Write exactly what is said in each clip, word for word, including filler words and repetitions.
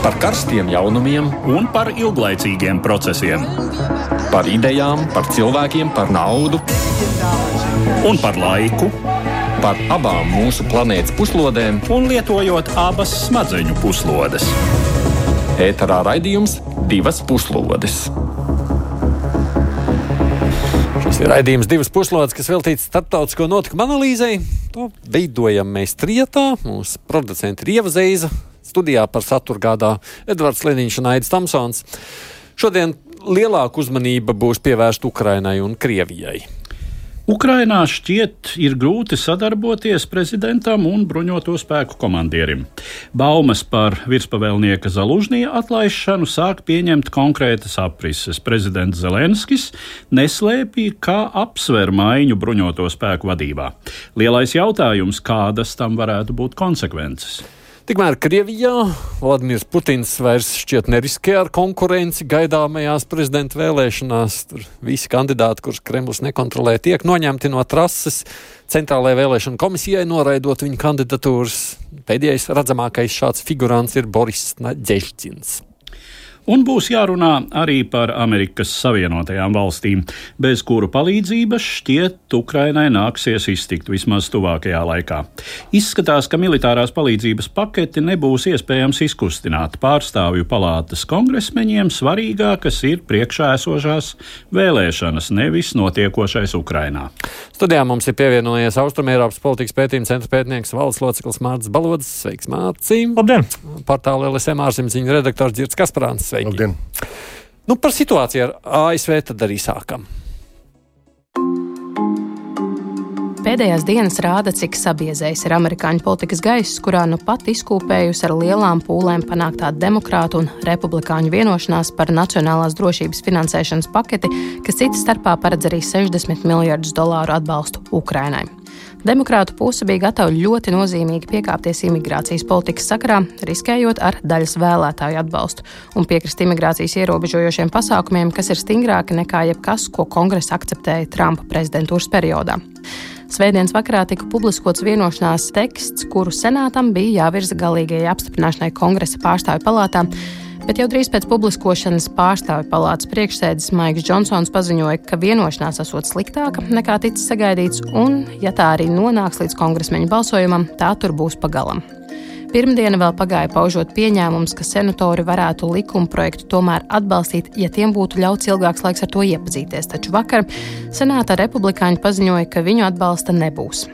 Par karstiem jaunumiem un par ilglaicīgiem procesiem. Par idejām, par cilvēkiem, par naudu. Un par laiku. Par abām mūsu planētas puslodēm. Un lietojot abas smadzeņu puslodes. Ēterā raidījums Divas puslodes. Šis ir raidījums Divas puslodes, kas veltīts starptautisko notikumu analīzei. To veidojam mēs trijotā. Mūsu producenti ir Ieva Zeiza. Studijā par saturu gādā Edvards Liniņš un Aidis Tamsons. Šodien lielāka uzmanība būs pievērsta Ukrainai un Krievijai. Ukrainā šķiet ir grūti sadarboties prezidentam un bruņoto spēku komandierim. Baumas par virspavēlnieka Zalužņija atlaišanu sāk pieņemt konkrētas aprises. Prezidents Zelenskis neslēpja, kā apsver maiņu bruņoto spēku vadībā. Lielais jautājums, kādas tam varētu būt konsekvences? Tikmēr Krievijā Vladimirs Putins vairs šķiet neriskē ar konkurenci gaidāmajās prezidenta vēlēšanās. Tur visi kandidāti, kurus Kremlis nekontrolē, tiek noņemti no trases. Centrālajai vēlēšana komisijai noraidot viņu kandidatūras. Pēdējais redzamākais šāds figurants ir Boris Nadeždins. Un būs jārunā arī par Amerikas Savienotajām valstīm, bez kuru palīdzības šķiet Ukrainai nāksies iztikt vismaz tuvākajā laikā. Izskatās, ka militārās palīdzības paketi nebūs iespējams izkustināt. Pārstāvju palātas kongresmeņiem svarīgākas ir priekšā esošās vēlēšanas, nevis notiekošais Ukrainā. Studijā mums ir pievienojies Austrumēropas politikas pētījuma centra pētnieks valdes loceklis Mārcis Balodis. Sveiks, Mārci! Labdien! Portāla L S M ārzemziņu redaktors Dzirds Kasparāns. Sveiki. Labdien. Nu, par situāciju ar A S V tad arī sākam. Pēdējās dienas rāda, cik sabiezējis ir amerikāņu politikas gaiss, kurā nu pat izkūpējusi ar lielām pūlēm panāktā demokrātu un republikāņu vienošanās par nacionālās drošības finansēšanas paketi, kas citas starpā paredz arī sešdesmit miljardus dolāru atbalstu Ukrainai. Demokrātu puse bija gatava ļoti nozīmīgi piekāpties imigrācijas politikas sakarā, riskējot ar daļas vēlētāju atbalstu un piekrist imigrācijas ierobežojošiem pasākumiem, kas ir stingrāki nekā jebkas, ko kongress akceptēja Trumpa prezidentūras periodā. Svētdienas vakarā tika publiskots vienošanās teksts, kuru senātam bija jāvirza galīgajai apstiprināšanai kongresa pārstāvju palātā, bet jau drīz pēc publiskošanas pārstāvju palātas priekšsēdis Maiks Džonsons paziņoja, ka vienošanās esot sliktāka nekā ticis sagaidīts, un, ja tā arī nonāks līdz kongresmeņu balsojumam, tā tur būs pagalam. Pirmdiena vēl pagāja paužot pieņēmums, ka senatori varētu likuma projektu tomēr atbalstīt, ja tiem būtu ļauts ilgāks laiks ar to iepazīties, taču vakar senāta republikāņi paziņoja, ka viņu atbalsta nebūs.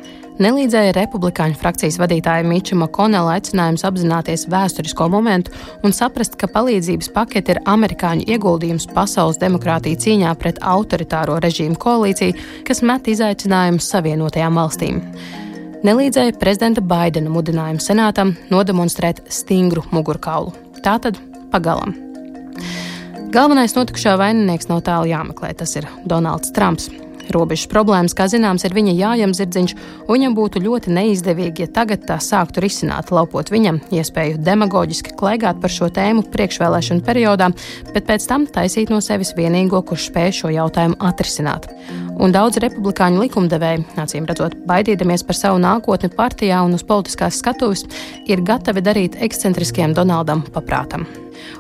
Nelīdzēja republikāņu frakcijas vadītāja Miča Makonela aicinājums apzināties vēsturisko momentu un saprast, ka palīdzības pakete ir amerikāņu ieguldījums pasaules demokrātiju cīņā pret autoritāro režīmu koalīciju, kas met izaicinājumus Savienotajām valstīm. Nelīdzēja prezidenta Baidena mudinājumu senātam nodemonstrēt stingru mugurkaulu. Tātad pagalam. Galvenais notikušā vaininieks nav tālu jāmeklē, tas ir Donalds Trumps. Robežas problēmas, kā zināms, ir viņa jājam zirdziņš, un viņam būtu ļoti neizdevīgi, ja tagad tā sāktu risināt, laupot viņam iespēju demagoģiski klaigāt par šo tēmu priekšvēlēšanu periodā, bet pēc tam taisīt no sevis vienīgo, kurš spēj šo jautājumu atrisināt. Un daudz republikāņu likumdevēji, acīm redzot, baidīdamies par savu nākotni partijā un uz politiskās skatuves, ir gatavi darīt ekscentriskiem Donaldam paprātam.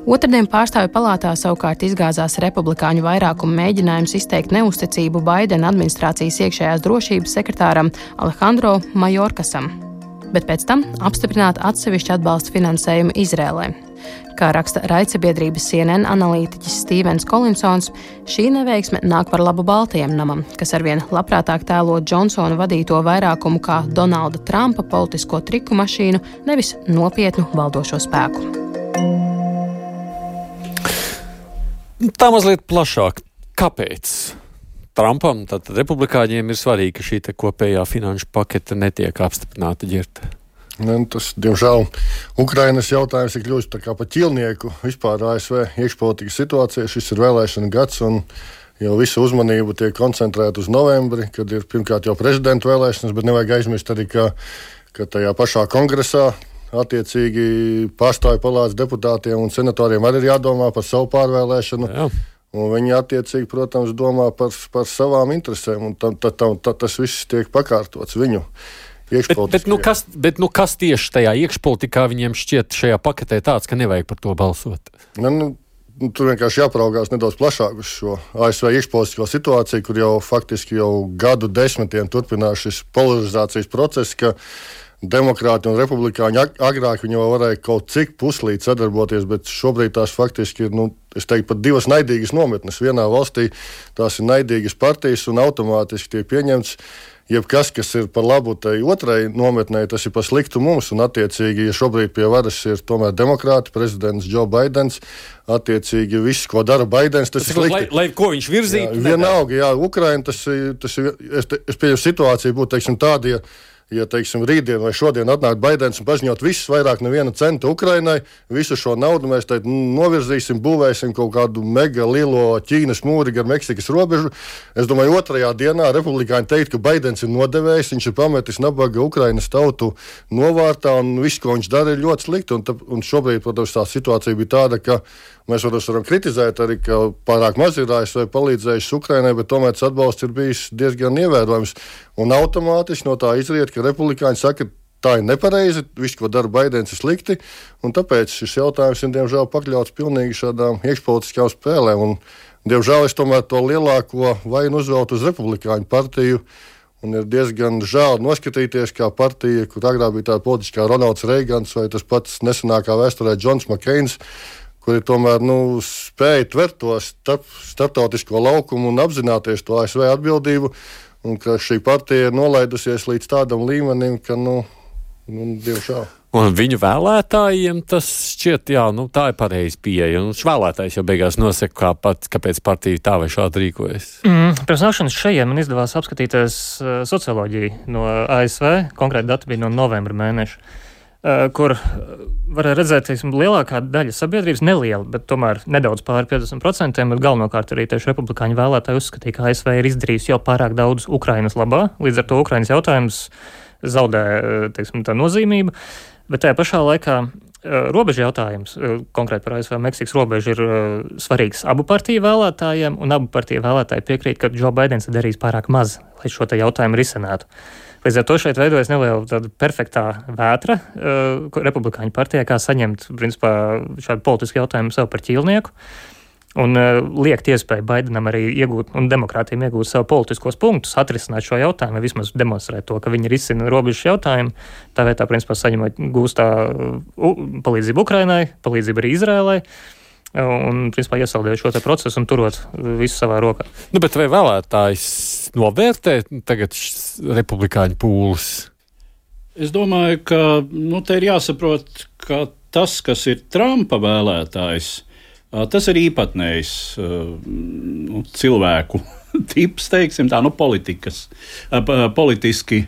Otradien pārstāvju palātā savukārt izgāzās republikāņu vairākumu mēģinājums izteikt neusticību Baidena administrācijas iekšējās drošības sekretāram Alejandro Mayorkasam, bet pēc tam apstiprināt atsevišķu atbalsta finansējumu Izrēlai. Kā raksta raidsabiedrības C N N analītiķis Stīvens Kolinsons, šī neveiksme nāk par labu Baltajam namam, kas arvien labprātāk tēlo Džonsona vadīto vairākumu kā Donalda Trumpa politisko triku mašīnu, nevis nopietnu valdošo spēku. Tā mazliet plašāk. Kāpēc Trumpam, tātad republikāņiem, ir svarīgi, ka šī te kopējā finanšu pakete netiek apstiprināta, Ģirte? Ne, tas, diemžēl, Ukrainas jautājums ir kļuvis tā kā pa ķilnieku vispār A S V iekšpolitikas situācijā. Šis ir vēlēšana gads un jau visu uzmanību tiek koncentrēta uz novembri, kad ir pirmkārt jau prezidenta vēlēšanas, bet nevajag aizmirst arī, ka, ka tajā pašā kongresā attiecīgi pārstāvju palātas deputātiem un senatoriem arī ir jādomā par savu pārvēlēšanu. Jā. Un viņi attiecīgi, protams, domā par, par savām interesēm, un tam, tam, tam, tas viss tiek pakārtots viņu Bet, bet, nu kas, bet nu kas tieši tajā iekšpolitikā viņiem šķiet šajā paketē tāds, ka nevajag par to balsot? Ne, nu, nu, tur vienkārši jāpraugās nedaudz plašāk uz šo A S V iekšpolitisko situāciju, kur jau faktiski jau gadu desmitiem turpinās šis polarizācijas process, ka demokrāti un republikāņi agrāk viņi jau varēja kaut cik puslīdz sadarboties, bet šobrīd tās faktiski ir, nu, es teiktu, pat divas naidīgas nometnes. Vienā valstī tās ir naidīgas partijas un automātiski tiek pieņemts jebkas, kas ir par labu tai otrai nometnē, tas ir par sliktu mums. Un, attiecīgi, ja šobrīd pie varas ir tomēr demokrāti, prezidents Joe Bidens, attiecīgi viss, ko dara Bidens, tas, tas ir slikti. Lai, lai ko viņš virzītu? Jā, vienalga, jā, Ukraina, tas ir, tas ir es, es pieņemu situāciju būtu, teiksim, tāda, ja Ja, teiksim, rītdien vai šodien atnāk Baidens un paziņot visus vairāk neviena centa Ukrainai, visu šo naudu mēs teikt, novirzīsim, būvēsim kaut kādu mega lielo Ķīnas mūri gar Meksikas robežu. Es domāju, otrajā dienā republikāņi teikt, ka Baidens ir nodevējis, viņš ir pametis nabaga Ukrainas tautu novārtā un viss, ko viņš dara, ir ļoti slikti. Un, ta, un šobrīd, protams, tā situācija bija tāda, ka mēs varam kritizēt arī, ka pārāk maz ir A S V palīdzējuši Ukrainai, bet tomēr tas atbalsts ir bijis diezgan ievērojams. Un automātiski no tā izriet, ka republikāņi saka, ka tā ir nepareizi, viss, ko dara Baidens, ir slikti, un tāpēc šis jautājums ir, diemžēl, pakļauts pilnīgi šādām iekšpolitiskām spēlēm. Un, diemžēl, es tomēr to lielāko vainu uzveltu uz republikāņu partiju, un ir diezgan žēl noskatīties, kā partija, kur agrāk bija tāda politiskā Ronalds Reigans vai tas pats nesenākā vēsturē Džons Makkeins, kuri tomēr nu, spēja tvert to starp, starptautisko laukumu un apzināties to A S V atbildību, un ka šī partija ir nolaidusies līdz tādam līmenim, ka, nu, nu diemžēl. Un viņu vēlētājiem tas šķiet, jā, nu, tā ir pareizi pieeja. Un vēlētājs jau beigās nosaka, kā pat, kāpēc partija tā vai šādi rīkojas. Mm, pirms nākšanas šajien man izdevās apskatīties uh, socioloģiju no A S V, konkrēti dati bija no novembra mēneša, uh, kur varēja redzēt, teiksim, lielākā daļa sabiedrības, neliela, bet tomēr nedaudz pāri piecdesmit procentiem, bet galvenokārt arī tieši republikāņu vēlētāji uzskatīja, ka A S V ir izdarījusi jau pārāk daudz Ukrainas labā, līdz ar to Ukrainas jautājums zaudē, teiksim, tā nozīmība. Bet tajā pašā laikā robeža jautājums, konkrēti par A S V Meksikas robežu, ir svarīgs abu partiju vēlētājiem, un abu partiju vēlētāji piekrīt, ka Joe Bidens ir darījis pārāk maz, lai šo te jautājumu risinātu. Līdz ar to šeit veidojas neliela tāda perfektā vētra uh, republikāņu partijā, kā saņemt, principā, šādu politisku jautājumu sev par ķīlnieku. Un uh, liekt iespēju Baidenam arī iegūt, un demokrātiem iegūt savu politiskos punktus, atrisināt šo jautājumu, vai vismaz demonstrēt to, ka viņi risina robežas jautājumu. Tā vietā, principā, saņemot gūstā uh, palīdzību Ukrainai, palīdzību arī Izrēlai, un, principā, iesaldējot šo te procesu un turot visu savā rokā. Nu, bet vai vēlētājs novērtē tagad republikāņu pūles? Es domāju, ka, nu, te ir jāsaprot, ka tas, kas ir Trumpa vēlētājs, tas ir īpatnējs nu, cilvēku tips, teiksim tā, nu, politikas, politiski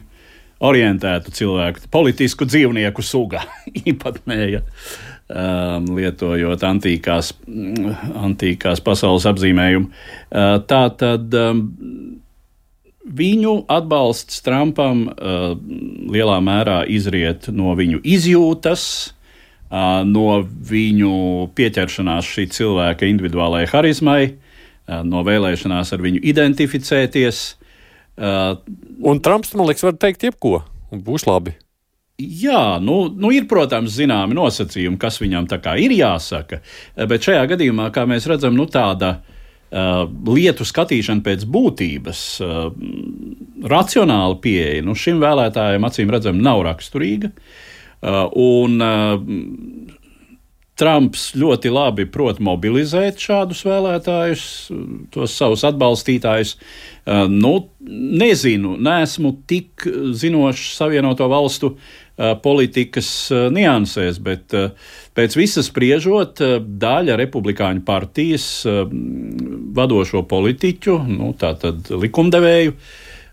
orientētu cilvēku, politisku dzīvnieku suga īpatnēja, um, lietojot antīkās, antīkās pasaules apzīmējumu. Uh, tā tad um, viņu atbalsts Trumpam uh, lielā mērā izriet no viņu izjūtas, no viņu pieķeršanās šī cilvēka individuālajai harizmai, no vēlēšanās ar viņu identificēties. Un Trumps, man liekas, var teikt jebko, un būs labi. Jā, nu, nu ir, protams, zināmi nosacījumi, kas viņam tā kā ir jāsaka, bet šajā gadījumā, kā mēs redzam, nu tāda uh, lietu skatīšana pēc būtības, uh, racionāla pieeja, nu šim vēlētājiem acīm redzam nav raksturīga. Uh, un uh, Trumps ļoti labi prot mobilizēt šādus vēlētājus, tos savus atbalstītājus. Uh, nu, nezinu, neesmu tik zinošs Savienoto Valstu uh, politikas uh, niansēs, bet uh, pēc visas spriežot, uh, daļa republikāņu partijas uh, vadošo politiķu, nu, tātad likumdevēju,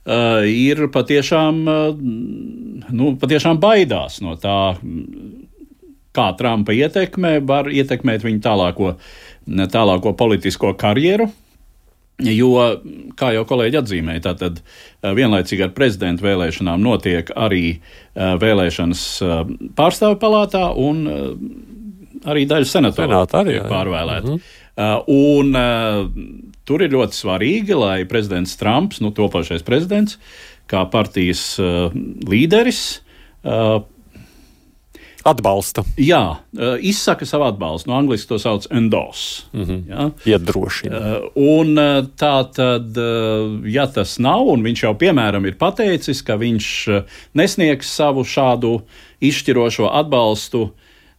Uh, ir patiešām, uh, nu, patiešām baidās no tā, kā Trumpa ietekme var ietekmēt viņu tālāko, tālāko politisko karjeru, jo, kā jau kolēģi atzīmēja, tātad uh, vienlaicīgi ar prezidentu vēlēšanām notiek arī uh, vēlēšanas uh, pārstāvju palātā un uh, arī daļa senatoru tiek pārvēlēta. Mhm. Uh, un uh, tur ir ļoti svarīgi, lai prezidents Trumps, nu topošais prezidents, kā partijas uh, līderis uh, atbalsta. Jā, izsaka savu atbalstu. No angliski to sauc endorse. Mm-hmm. Ja? Iedrošina. Un tā tad, ja tas nav, un viņš jau piemēram ir pateicis, ka viņš nesniegs savu šādu izšķirošo atbalstu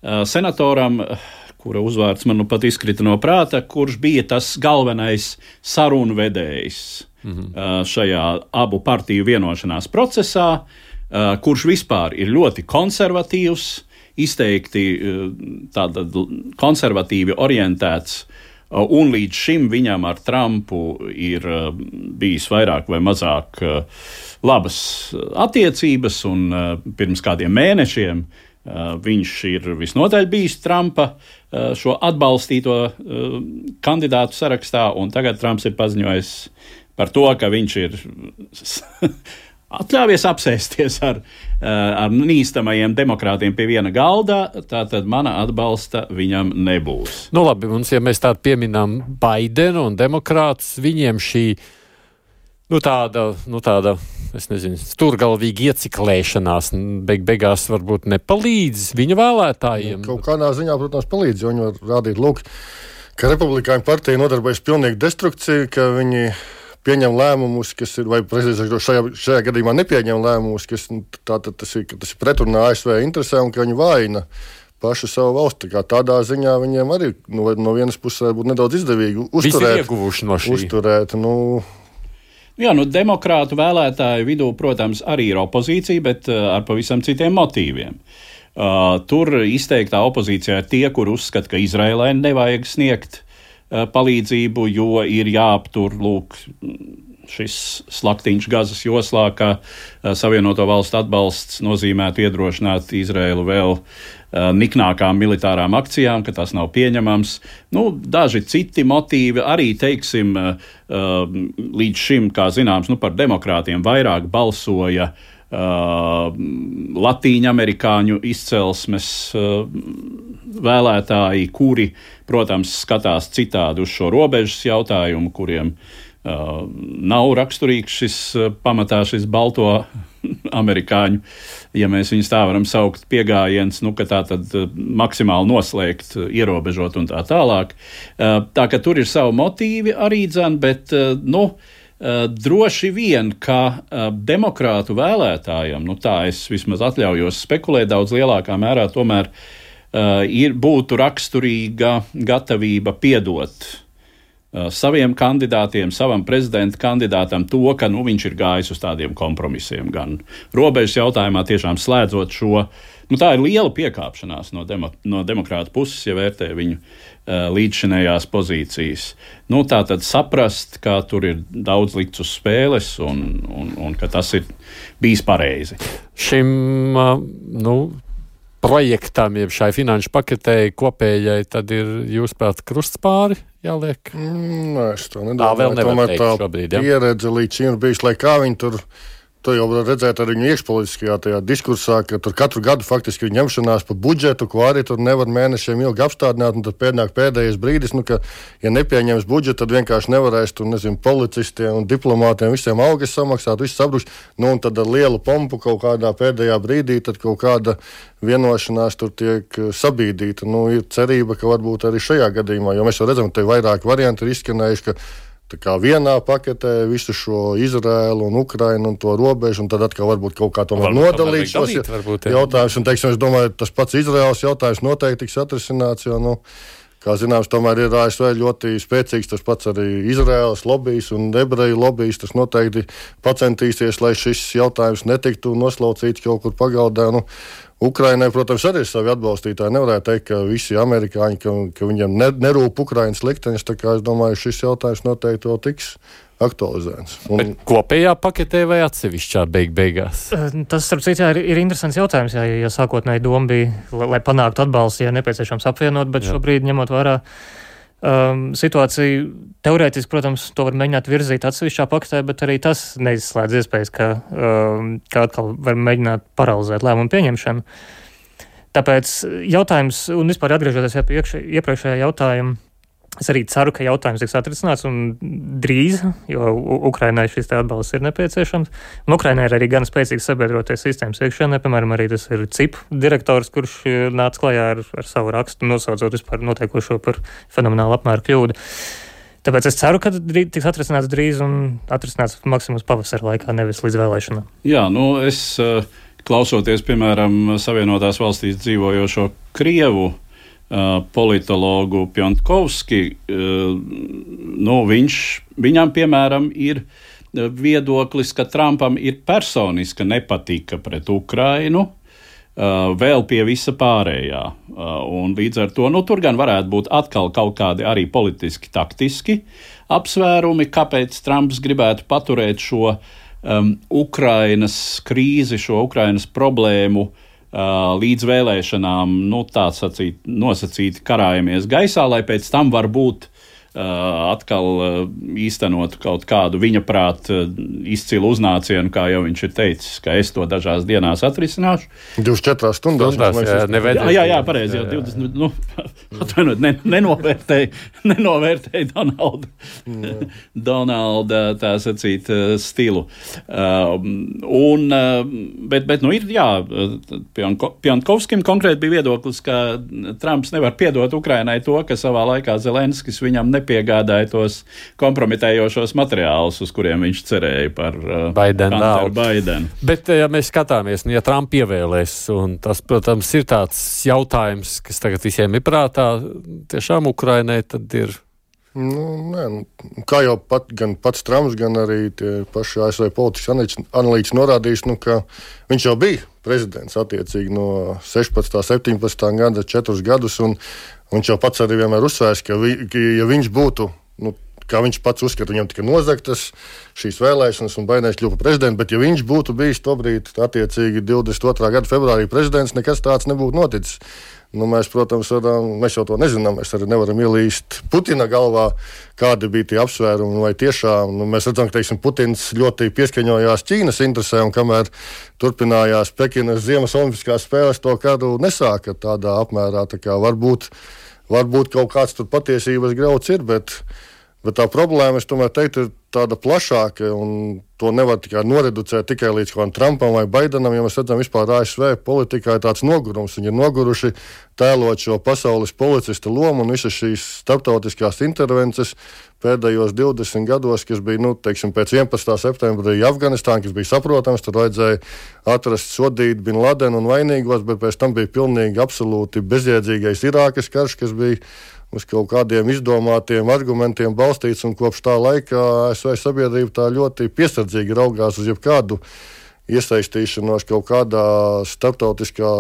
senatoram, kura uzvārds man nu pat izkrita no prāta, kurš bija tas galvenais sarunu vedējs mm-hmm. šajā abu partiju vienošanās procesā, kurš vispār ir ļoti konservatīvs, izteikti tātad konservatīvi orientēts, un līdz šim viņam ar Trumpu ir bijis vairāk vai mazāk labas attiecības, un pirms kādiem mēnešiem viņš ir visnotaļ bijis Trumpa šo atbalstīto kandidātu sarakstā, un tagad Trumps ir paziņojis par to, ka viņš ir atļāvies apsēsties ar, ar nīstamajiem demokrātiem pie viena galda, tātad mana atbalsta viņam nebūs. Nu labi, mums, ja mēs tādu pieminām Baidenu un demokrātus, viņiem šī, nu tāda, nu tāda, es nezinu, stūrgalvīga ieciklēšanās beig beigās varbūt nepalīdz viņa vēlētājiem. Kaut kādā ziņā, protams, palīdz, jo viņi var rādīt, lūk, ka republikāņu partija nodarbojas pilnīgi destrukciju, ka viņi pieņem lēmumus, kas ir, vai prezidents šajā, šajā gadījumā nepieņem lēmumus, kas tātad tas ir, tas ir pretrunā A S V interesē un ka viņi vaina pašu savu valsti. Tā kā tādā ziņā viņiem arī no, no vienas puses būtu nedaudz izdevīgi uzturēt. Visi ieguvuši no šī. Uzturēt, nu... Jā, nu demokrātu vēlētāju vidū, protams, arī ir opozīcija, bet uh, ar pavisam citiem motīviem. Uh, tur izteiktā opozīcijā ir tie, kur uzskata, ka Izraēlai nevajag sniegt palīdzību, jo ir jāaptur lūk, šis slaktiņš Gazas joslā, ka Savienoto valstu atbalsts nozīmētu iedrošināt Izraēlu vēl niknākām militārām akcijām, ka tas nav pieņemams. Nu, daži citi motīvi arī, teiksim, līdz šim, kā zināms, nu, par demokrātiem vairāk balsoja Uh, latīņamerikāņu izcelsmes uh, vēlētāji, kuri, protams, skatās citādi uz šo robežas jautājumu, kuriem uh, nav raksturīgs šis uh, pamatā šis balto amerikāņu, ja mēs viņus tā varam saukt, piegājiens, nu, ka tā tad uh, maksimāli noslēgt, uh, ierobežot un tā tālāk. Uh, tā ka tur ir savu motīvi arī dzen, bet, uh, nu, Uh, droši vien, ka uh, demokrātu vēlētājiem, nu tā es vismaz atļaujos spekulēt daudz lielākā mērā, tomēr uh, ir, būtu raksturīga gatavība piedot uh, saviem kandidātiem, savam prezidenta kandidātam to, ka nu, viņš ir gājis uz tādiem kompromisiem, gan robežas jautājumā tiešām slēdzot šo. Nu, tā ir liela piekāpšanās no, demo, no demokrāta puses, ja vērtē viņu uh, līdzšinējās pozīcijas. Nu, tā tad saprast, ka tur ir daudz likts uz spēles un, un, un ka tas ir bijis pareizi. Šim uh, nu, projektam, jeb šai finanšu paketei kopējai, tad ir jūsuprāt krusts pāri jāliek? Mm, nē, es to nedomāju. Tā vēl nevar teikt šobrīd, ja? Pieredze līdz šim ir bijis, lai kā viņi tur... To jau var redzēt arī viņu iekšpolitiskajā tajā diskursā, ka tur katru gadu faktiski ir ņemšanās par budžetu, ko arī tur nevar mēnešiem ilgi apstādināt, un tad pēdnāk pēdējais brīdis, nu, ka, ja nepieņems budžetu, tad vienkārši nevarēs tur, nezinu, policistiem un diplomātiem visiem algas samaksāt, viss sabrukst, nu, un tad ar lielu pompu kaut kādā pēdējā brīdī, tad kaut kāda vienošanās tur tiek sabīdīta. Nu, ir cerība, ka varbūt arī šajā gadījumā, jo mēs jau redzam, ka te vairāk varianti ir izskanējuši, ka tā kā vienā paketē visu šo Izraēlu un Ukrainu un to robežu, un tad atkal varbūt kaut kā tomēr nodalīt šos jautājumus. Un, teiksim, es domāju, tas pats Izraēlas jautājums noteikti tiks atrisināts, jo, nu, kā zināms, tomēr ir A S V ļoti spēcīgs tas pats arī Izraēlas lobijs un ebreju lobijs. Tas noteikti pacentīsies, lai šis jautājums netiktu noslaucīts kaut kur pagaldā. Nu, Ukrainai, protams, arī ir savi atbalstītāji. Nevarētu teikt, ka visi amerikāņi, ka, ka viņiem ne, nerūp Ukrainas liktenis. Tā kā es domāju, šis jautājums noteikti vēl tiks aktualizēts. Un... Bet kopējā paketē vai atsevišķā beig beigās? Tas, starp citu, ir, ir interesants jautājums, ja, ja sākotnēji doma bija, lai, lai panāktu atbalstu, ja nepieciešams apvienot, bet Jā. Šobrīd ņemot vērā um, situāciju, teorētiski, protams, to var mēģināt virzīt atsevišķā paketē, bet arī tas neizslēdz iespējas, ka, um, ka atkal var mēģināt paralizēt lēmumu pieņemšanu. Tāpēc jautājums, un vispār atgriežoties pie iepriekšējā jautājuma, Es arī ceru, ka jautājums tiks atrisināts un drīz, jo Ukrainai šis te atbalsts ir nepieciešams. Un Ukrainai ir arī gan spēcīgs sabiedroties sistēmas iekšienē, piemēram, arī tas ir C I P direktors, kurš nāca klajā ar, ar savu rakstu, nosaucot vispār notiekošo par fenomenālu apmēru kļūdu. Tāpēc es ceru, ka tiks atrisināts drīz un atrisināts maksimums pavasara laikā, nevis līdz vēlēšanām. Jā, nu es klausoties, piemēram, Savienotās valstīs dzīvojošo Krievu politologu Pjantkovski, nu, viņš, viņam, piemēram, ir viedoklis, ka Trumpam ir personiska nepatika pret Ukrainu, vēl pie visa pārējā. Un līdz ar to, nu, tur gan varētu būt atkal kaut kādi arī politiski, taktiski apsvērumi, kāpēc Trumps gribētu paturēt šo um, Ukrainas krīzi, šo Ukrainas problēmu Uh, līdz vēlēšanām, nu, tā sacīt, nosacīti karājamies gaisā, lai pēc tam varbūt uh, atkal uh, īstenot kaut kādu viņa prāt uh, izcilu uznācienu, kā jau viņš ir teicis, ka es to dažās dienās atrisināšu. divdesmit četrās stundās. stundās jā, jā, jā, jā, pareizi, jau divdesmit, nu, atvainot, ne, nenovērtēja, nenovērtēja Donalda, Donalda, tā sacīt, stilu. Uh, un, uh, bet, bet, nu, ir, jā, Pjantkovskim konkrēti bija viedoklis, ka Trumps nevar piedot Ukrainai to, ka savā laikā Zelenskis viņam nepiegādāja tos kompromitējošos materiālus, uz kuriem viņš cerēja par uh, Hunteru Baidenu. Bet, ja mēs skatāmies, ja Trump ievēlēs, un tas, protams, ir tāds jautājums, kas tagad visiem ir prātā, tiešām Ukrainai tad ir. Nu, nē, nu, kā jau pat, gan pats Trumps, gan arī tie paši A S V politikas analītiķi norādījis, nu, ka viņš jau bija prezidents attiecīgi no sešpadsmitā, septiņpadsmitā gada, četrus gadus, un viņš jau pats arī vienmēr uzsvērs, ka, vi, ka ja viņš būtu, nu, kā viņš pats uzskata, viņam tika nozagtas šīs vēlēšanas un Baidens kļuva par prezidentu, bet ja viņš būtu bijis tobrīd attiecīgi divdesmit otrā gada februārī prezidents, nekas tāds nebūtu noticis. Nu, mēs, protams, varam, mēs jau to nezinām, mēs arī nevaram ielīst Putina galvā, kādi bija tie apsvērumi, vai tiešām, nu, mēs redzam, ka, teiksim, Putins ļoti pieskaņojās Ķīnas interesēm, kamēr turpinājās Pekinas Ziemas olimpiskās spēles, to kādu nesāka tādā apmērā, tā kā varbūt, varbūt kaut kāds tur patiesības grauds ir, bet, bet tā problēma, es tomēr teiktu, ir tāda plašāka, un to nevar tikai noreducēt tikai līdz kādam Trumpam vai Baidenam, jo mēs redzam vispār A S V politikā ir tāds nogurums. Viņi ir noguruši tēlot šo pasaules policista lomu un visas šīs starptautiskās intervences pēdējos divdesmit gados, kas bija, nu, teiksim, pēc vienpadsmitā septembra Afganistāna, kas bija saprotams, tur vajadzēja atrast, sodīt Bin Ladenu un vainīgos, bet pēc tam bija pilnīgi absolūti bezjēdzīgais Irākas karš, kas bija uz kaut kādiem izdomātiem argumentiem balstīts, un kopš tā laika A S V sabiedrība tā ļoti piesardzīgi raugās uz jebkādu iesaistīšanos kaut kādā starptautiskā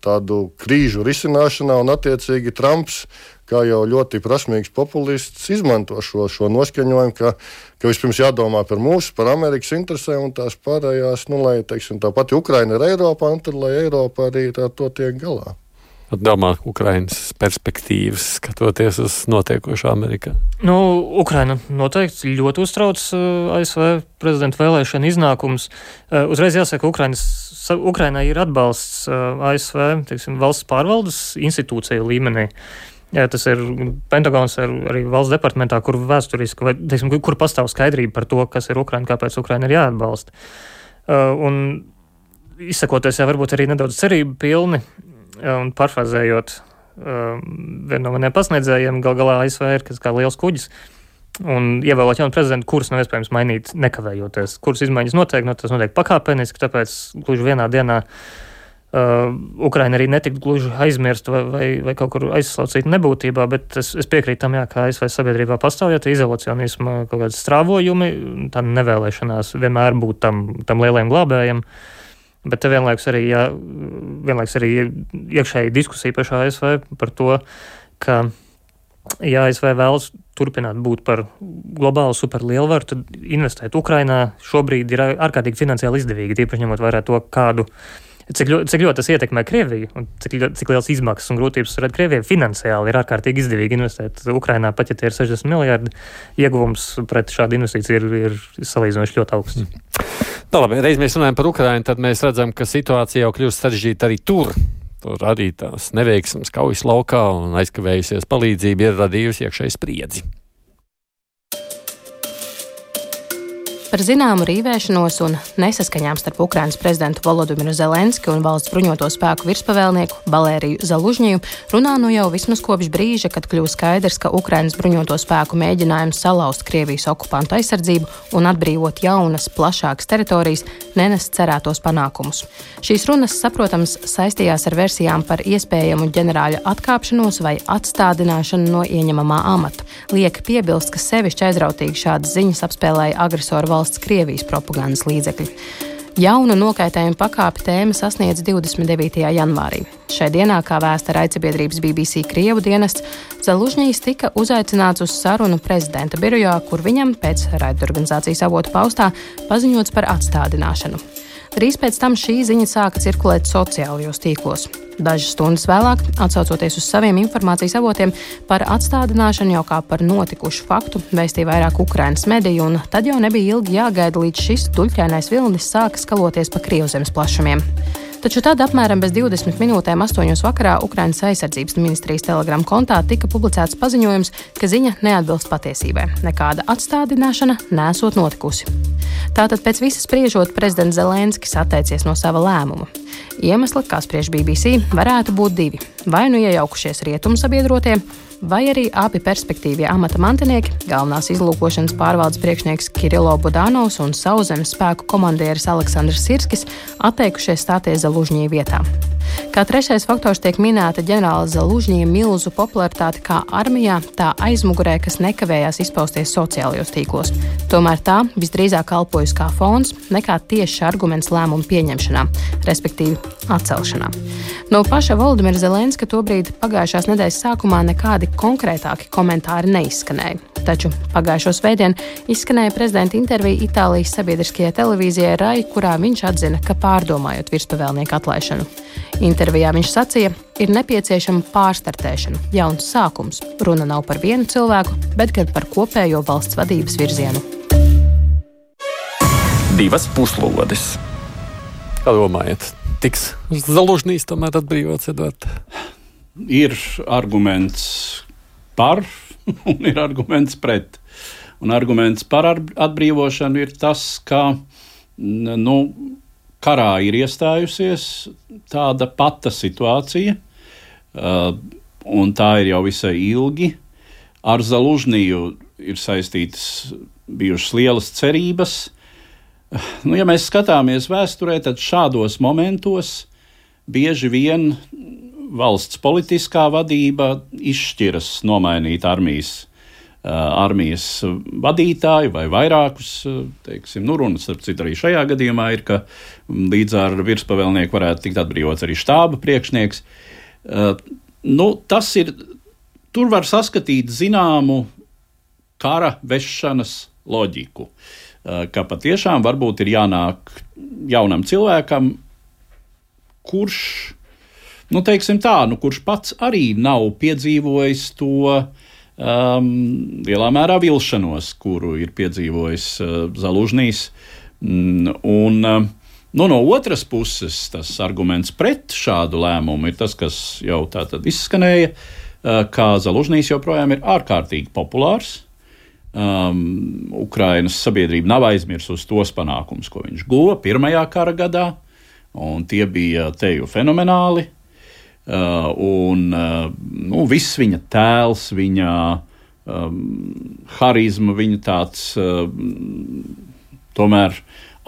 tādu krīžu risināšanā, un attiecīgi Trumps, kā jau ļoti prasmīgs populists, izmanto šo, šo noskaņojumu, ka, ka vispirms jādomā par mūsu, par Amerikas interesēm, un tās pārējās, nu, lai, teiksim, tā pati Ukraina ir Eiropā, un tad, lai Eiropa arī tā to tiek galā. Domā, Ukrainas perspektīvas, skatoties uz notiekošo Amerikā? Nu, Ukraina noteikti ļoti uztrauc uh, A S V prezidenta vēlēšana iznākums. Uh, uzreiz jāsaka, Ukrainas, Ukrainai ir atbalsts uh, A S V, teiksim, valsts pārvaldes institūciju līmenī. Jā, tas ir Pentagons ar, arī valsts departamentā, kur vēsturiski, vai, teiksim, kur pastāv skaidrība par to, kas ir Ukraina, kāpēc Ukraina ir jāatbalsta. Uh, un izsakoties, jā, varbūt arī nedaudz cerību pilni, un parfrazējot uh, vienu no maniem pasniedzējiem, gal galā A S V ir kā liels kuģis, un ievēlot jaunu prezidentu, kurus nav iespējams mainīt nekavējoties. Kuras izmaiņas notiek, no tas notiek pakāpeniski, tāpēc gluži vienā dienā uh, Ukraina arī netiktu gluži aizmirst vai, vai, vai kaut kur aizslaucīt nebūtībā, bet es, es piekrītu tam, jā, kā A S V sabiedrībā pastāv, ja izolacionisma kaut kāds strāvojumi, tā nevēlēšanās vienmēr būt tam, tam lielajam glābējam. Bet te vienlaikus arī, jā, vienlaikus arī iekšēji diskusija pašā A S V par to, ka, ja A S V vēlas turpināt būt par globālu superlielvaru, tad investēt Ukrainā šobrīd ir ārkārtīgi finansiāli izdevīgi, tīpaši ņemot vērā to, kādu, cik, ļo, cik ļoti tas ietekmē Krieviju un cik, cik liels izmaksas un grūtības rada Krievija. Finansiāli ir ārkārtīgi izdevīgi investēt Ukrainā, pat ja tie ir sešdesmit miljardi, ieguvums pret šādu investīciju ir, ir salīdzinoši ļoti augsts. Tā labi, reiz mēs runājam par Ukrainu, tad mēs redzam, ka situācija jau kļūst sarežģīta arī tur. Tur arī tās neveiksmes kaujas laukā un aizkavējusies palīdzība ir radījusi iekšēju spriedzi. Par zināmu rīvēšanos un nesaskaņām starp Ukrainas prezidentu Volodimiru Zelenski un valsts bruņoto spēku virspavēlnieku Balēriju Zalužņiju runā nu jau vismaz kopš brīža, kad kļuva skaidrs, ka Ukrainas bruņoto spēku mēģinājums salauzt Krievijas okupantu aizsardzību un atbrīvot jaunas, plašākas teritorijas nenes cerētos panākumus. Šīs runas, saprotams, saistījās ar versijām par iespējamu ģenerāļa atkāpšanos vai atstādināšanu no ieņemamā amata. Liek piebilst, ka sevišķi aizrautīgi šādas ziņas apspēlēja agresoru valsts Krievijas propagandas līdzekļi. Jaunu nokaitējumu pakāpi tēma sasniedz divdesmit devītajā janvārī. Šai dienā, kā vēsta raidsabiedrības B B C Krievu dienests, Zalužņijs tika uzaicināts uz sarunu prezidenta birojā, kur viņam, pēc raidorganizācijas avotu paustā, paziņots par atstādināšanu. Drīz pēc tam šī ziņa sāka cirkulēt sociālajos tīklos. Dažas stundas vēlāk, atsaucoties uz saviem informācijas avotiem, par atstādināšanu jau kā par notikušu faktu vēstīja vairāk Ukrainas mediju, un tad jau nebija ilgi jāgaida, līdz šis duļķainais vilnis sāka skaloties pa Krievzemes plašumiem. Taču tad apmēram bez divdesmit minūtēm astoņos vakarā Ukrainas aizsardzības ministrijas Telegram kontā tika publicēts paziņojums, ka ziņa neatbilst patiesībai. Nekāda atstādināšana nesot notikusi. Tātad pēc visas spriežot, prezidents Zelenskis atteicies no sava lēmuma. Iemesli, kā spriež B B C, varētu būt divi. Vai nu iejaukušies rietumu sabiedrotie, vai arī abi perspektīvie amata mantinieki, galvenās izlūkošanas pārvaldes priekšnieks Kirilo Budanovs un sauszemes spēku komandieris Aleksandrs Sirskis atteikušies stāties Zalužņija vietā. Kā trešais faktors tiek minēta ģenerāla Zalužņija milzu popularitāte kā armijā, tā aizmugurē, kas nekavējās izpausties sociālajos tīklos. Tomēr tā visdrīzāk kalpojas kā fons nekā tieši arguments lēmumu pieņemšanā, respektīvi atcelšanā. No paša Volodimira Zelenska tobrīd pagājušās nedēļas sākumā nekādi konkrētāki komentāri neizskanēja. Taču pagājušo svētdien izskanēja prezidenta intervija Itālijas sabiedriskajai televīzijai Rai, kurā viņš atzina, ka pārdomājot virspavēlnieku atlaišanu. Intervijā viņš sacīja, ir nepieciešama pārstartēšana, jauns sākums. Runa nav par vienu cilvēku, bet gan par kopējo valsts vadības virzienu. Divas puslodes. Kā domājat, tiks Zalužņijs tomēr atbrīvots, Edvard? Ir arguments par un ir arguments pret. Un arguments par atbrīvošanu ir tas, ka nu, karā ir iestājusies tāda pata situācija, uh, un tā ir jau visai ilgi. Ar Zalužņiju ir saistītas bijušas lielas cerības. Nu, ja mēs skatāmies vēsturē, tad šādos momentos bieži vien valsts politiskā vadība izšķiras nomainīt armijas, uh, armijas vadītāju vai vairākus, teiksim, nu runas, starp citu arī šajā gadījumā ir, ka līdz ar virspavēlnieku varētu tikt atbrīvots arī štāba priekšnieks. Uh, nu, tas ir, tur var saskatīt zināmu kara vešanas loģiku, uh, ka patiešām varbūt ir jānāk jaunam cilvēkam, kurš Nu, teiksim tā, nu, kurš pats arī nav piedzīvojis to um, lielā mērā vilšanos, kuru ir piedzīvojis uh, Zalužņijs. Mm, un, uh, nu, no otras puses, tas arguments pret šādu lēmumu ir tas, kas jau tā tad izskanēja, uh, ka Zalužņijs joprojām ir ārkārtīgi populārs. Um, Ukrainas sabiedrība nav aizmirsusi tos panākumus, ko viņš guva pirmajā kara gadā, un tie bija teju fenomenāli. Uh, un uh, nu, viss viņa tēls, viņa um, harizma, viņa tāds uh, tomēr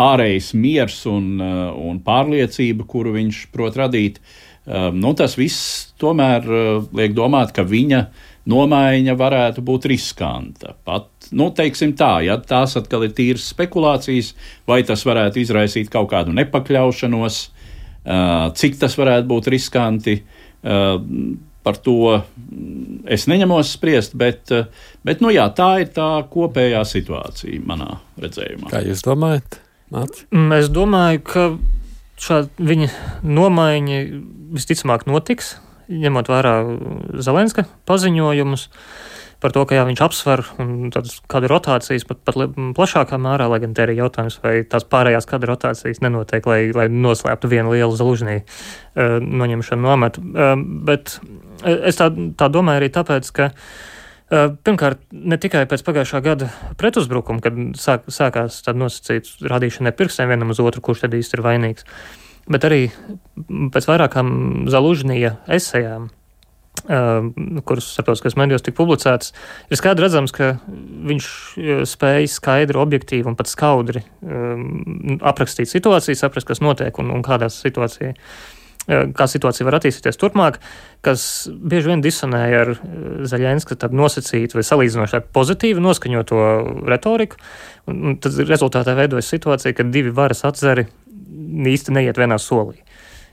ārējs miers un, uh, un pārliecība, kuru viņš prot radīt, uh, nu, tas viss tomēr uh, liek domāt, ka viņa nomaiņa varētu būt riskanta. Pat, nu, teiksim tā, ja tās atkal ir tīras spekulācijas, vai tas varētu izraisīt kaut kādu nepakļaušanos, Uh, cik tas varētu būt riskanti, uh, par to es neņemos spriest, bet, uh, bet nu jā, tā ir tā kopējā situācija manā redzējumā. Kā jūs domājat, Māc? Es domāju, ka šāda viņa nomaiņa visticamāk notiks, ņemot vērā Zelenska paziņojumus. par to, ka jā, viņš apsver un kāda rotācijas pat, pat plašākā mērā, lai gan te ir jautājums, vai tās pārējās kāda rotācijas nenotiek, lai, lai noslēptu vienu lielu Zalužņī uh, noņemšanu no amata. Uh, bet es tā, tā domāju arī tāpēc, ka uh, pirmkārt, ne tikai pēc pagājušā gada pretuzbrukuma, kad sāk, sākās tāda nosacīta rādīšana ar pirkstiem vienam uz otru, kurš tad īsti ir vainīgs, bet arī pēc vairākām Zalužņija esejām, Uh, kuras starptautiskajos medijos tika publicētas, ir skaidri redzams, ka viņš spēja skaidri, objektīvi un pat skaudri um, aprakstīt situāciju, saprast, kas notiek un, un kādā situācijā, uh, kā situācija var attīstīties turpmāk, kas bieži vien disonēja ar Zeļenska tad nosacītu vai salīdzinoši pozitīvi noskaņoto retoriku, un, un tad rezultātā veidojas situācija, ka divi varas atzari īsti neiet vienā solī.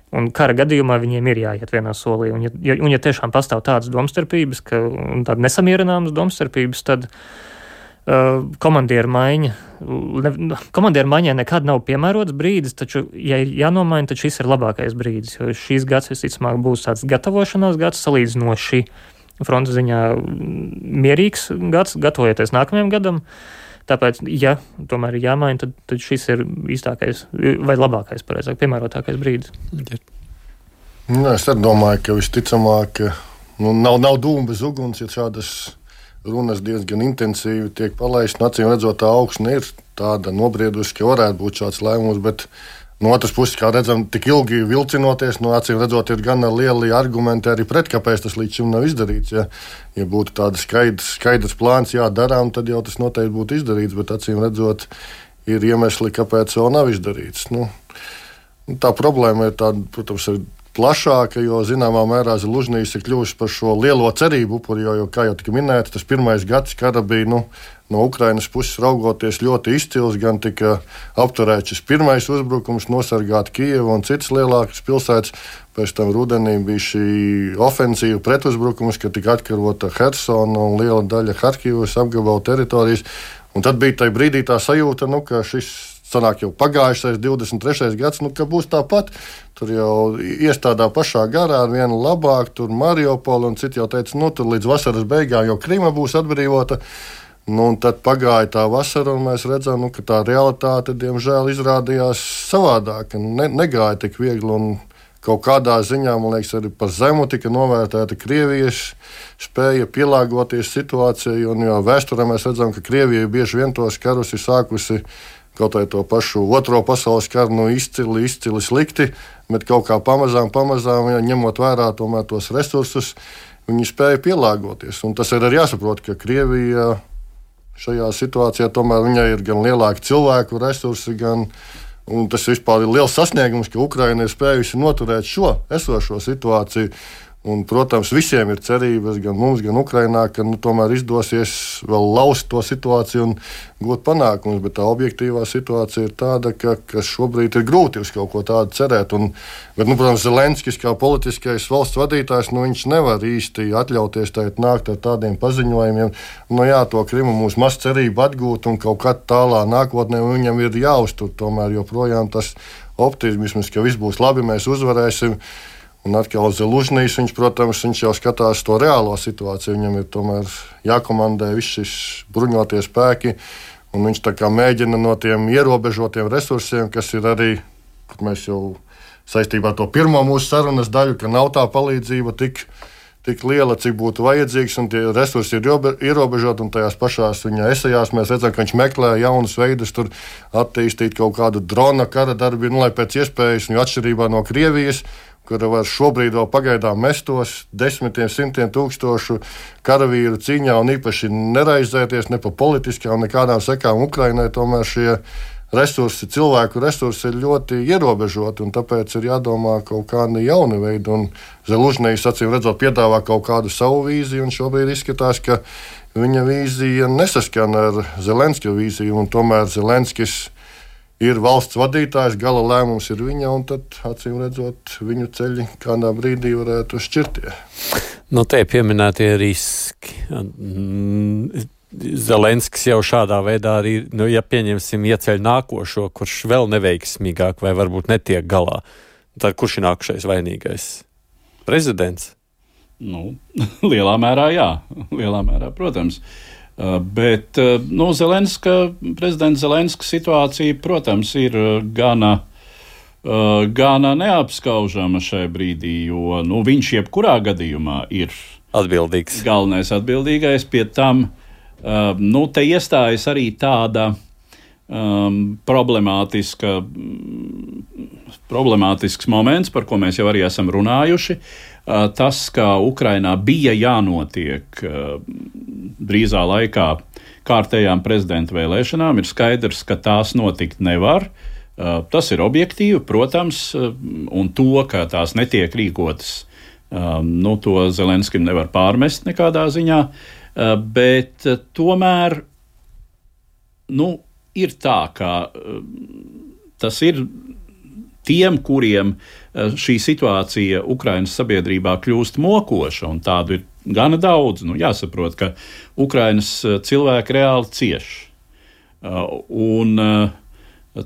Un kara gadījumā viņiem ir jāiet vienā solī. Un ja, un ja tiešām pastāv tādas domstarpības, ka, un tāda nesamierināmas domstarpības, tad uh, komandieru maiņa, ne, komandieru maiņai nekad nav piemērots brīdis, taču, ja ir jānomaina, tad šis ir labākais brīdis, jo šīs gads visticamāk būs tāds gatavošanās gads, salīdzinoši frontes ziņā mierīgs gads, gatavojoties nākamajam gadam. Tāpēc, ja tomēr ir jāmaina, tad, tad šis ir īstākais vai labākais, pareizāk, piemērotākais brīdis. Jā, es arī domāju, ka visticamāk nu, nav, nav dūma bez uguns, ja šādas runas diezgan intensīvi tiek palaistas. Acīm redzot, tā augsne ir tāda nobriedusi, ka varētu būt šāds lēmums, bet no otras puses, kā redzam, tik ilgi vilcinoties, no acīm redzot, ir gan lieli argumenti arī pret, kāpēc tas līdz šim nav izdarīts. Ja, ja būtu tāda skaidrs, skaidrs plāns jādarām, tad jau tas noteikti būtu izdarīts, bet acīm redzot, ir iemesli, kāpēc vēl nav izdarīts. Nu, tā problēma ir tāda, protams, ir plašāka, jo zināmā mērā Zalužņijs ir kļuvis par šo lielo cerību upuri, jo, jo, kā jau tika minēts, tas pirmais gads kara bija, nu, no Ukrainas puses raugoties ļoti izcils, gan tika apturēts šis pirmais uzbrukums, nosargāt Kijevu un citas lielākas pilsētas. Pēc tam rudenī bija šī ofensīva pretuzbrukums, kad tika atkarota Hersona un liela daļa Harkivas apgabalu teritorijas. Un tad bija tajā brīdī tā sajūta, nu, ka šis sanāk jau pagājušais divdesmit trešais gads, nu, ka būs tāpat. Tur jau iestādā pašā garā ar vienu labāk, tur Mariupoli un citi jau teica, nu, tur līdz vasaras beigām jau Krima būs atbrīvota. Nu, un tad pagāja tā vasara, un mēs redzam, nu, ka tā realitāte, diemžēl, izrādījās savādāk. Ne, negāja tik viegli, un kaut kādā ziņā, man liekas, arī par zemu tika novērtēta Krievijas spēja pielāgoties situācijai, un jau vēsturē mēs redzam, ka Krievija bieži vien tos karus ir sākusi kaut vai to pašu otro pasaules karu, nu, izcili, izcili slikti, bet kaut kā pamazām, pamazām, ja, ņemot vērā tomēr tos resursus, viņi spēja pielāgoties. Un tas ir arī jāsaprot, ka Krievija šajā situācijā tomēr viņai ir gan lielāki cilvēku resursi, gan, un tas vispār ir liels sasniegums, ka Ukraina ir spējusi noturēt šo esošo situāciju. Un, protams, visiem ir cerības, gan mums, gan Ukrainā, ka nu, tomēr izdosies vēl laust to situāciju un gūt panākumus, bet tā objektīvā situācija ir tāda, ka, ka šobrīd ir grūti uz kaut ko tādu cerēt. Un, bet, nu, protams, Zelenskis kā politiskais valsts vadītājs, nu, viņš nevar īsti atļauties tagad nākt ar tādiem paziņojumiem. Nu, jā, to Krimu mums maz cerību atgūt un kaut kad tālā nākotnē viņam ir jāuztur tomēr joprojām tas optimisms, ka viss būs labi, mēs uzvarēsim. Un atkal Zalužņijs, viņš, protams, viņš jau skatās to reālo situāciju. Viņam ir tomēr jākomandē viss šis bruņotie spēki, un viņš tā kā mēģina no tiem ierobežotiem resursiem, kas ir arī, kad mēs jau saistībā ar to pirmo mūsu sarunas daļu, ka nav tā palīdzība tik, tik liela, cik būtu vajadzīgs, un tie resursi ir ierobežoti, un tajās pašās viņa esejās mēs redzam, ka viņš meklē jaunus veidus, tur attīstīt kaut kādu drona kara darbību, nu, lai pēc iespējas, jo atšķirībā no Krievijas, kura var šobrīd vēl pagaidām mestos desmitiem, simtiem tūkstošu karavīru cīņā un īpaši neraizēties ne pa politiskām, nekādām sekām Ukrainai, tomēr šie resursi, cilvēku resursi ir ļoti ierobežoti, un tāpēc ir jādomā kaut kādi jauni veidi, un Zalužņijs, acīm redzot, piedāvā kaut kādu savu vīziju, un šobrīd izskatās, ka viņa vīzija nesaskana ar Zelenska vīziju, un tomēr Zelenskis ir valsts vadītājs, gala lēmums ir viņa, un tad, acīm redzot, viņu ceļi kādā brīdī varētu šķirties. Nu, te pieminētie riski. Zelenskis jau šādā veidā arī, nu, ja pieņemsim, ieceļ nākošo, kurš vēl neveiksmīgāk vai varbūt netiek galā, tad kurš ir nākušais vainīgais? Prezidents? Nu, lielā mērā jā, lielā mērā, protams. Bet nu, Zelenska, prezidenta Zelenska situācija, protams, ir gana, gana neapskaužama šai brīdī, jo nu, viņš jebkurā gadījumā ir atbildīgs. Galvenais atbildīgais. Pie tam nu, te iestājas arī tāda um, problemātiska, problemātisks moments, par ko mēs jau arī esam runājuši. Tas, ka Ukrainā bija jānotiek drīzā laikā kārtējām prezidenta vēlēšanām, ir skaidrs, ka tās notikt nevar. Tas ir objektīvi, protams, un to, ka tās netiek rīkotas, nu, to Zelenskim nevar pārmest nekādā ziņā, bet tomēr nu, ir tā, ka tas ir tiem, kuriem šī situācija Ukrainas sabiedrībā kļūst mokoša, un tādu ir gana daudz. Nu, jāsaprot, ka Ukrainas cilvēki reāli cieš. Un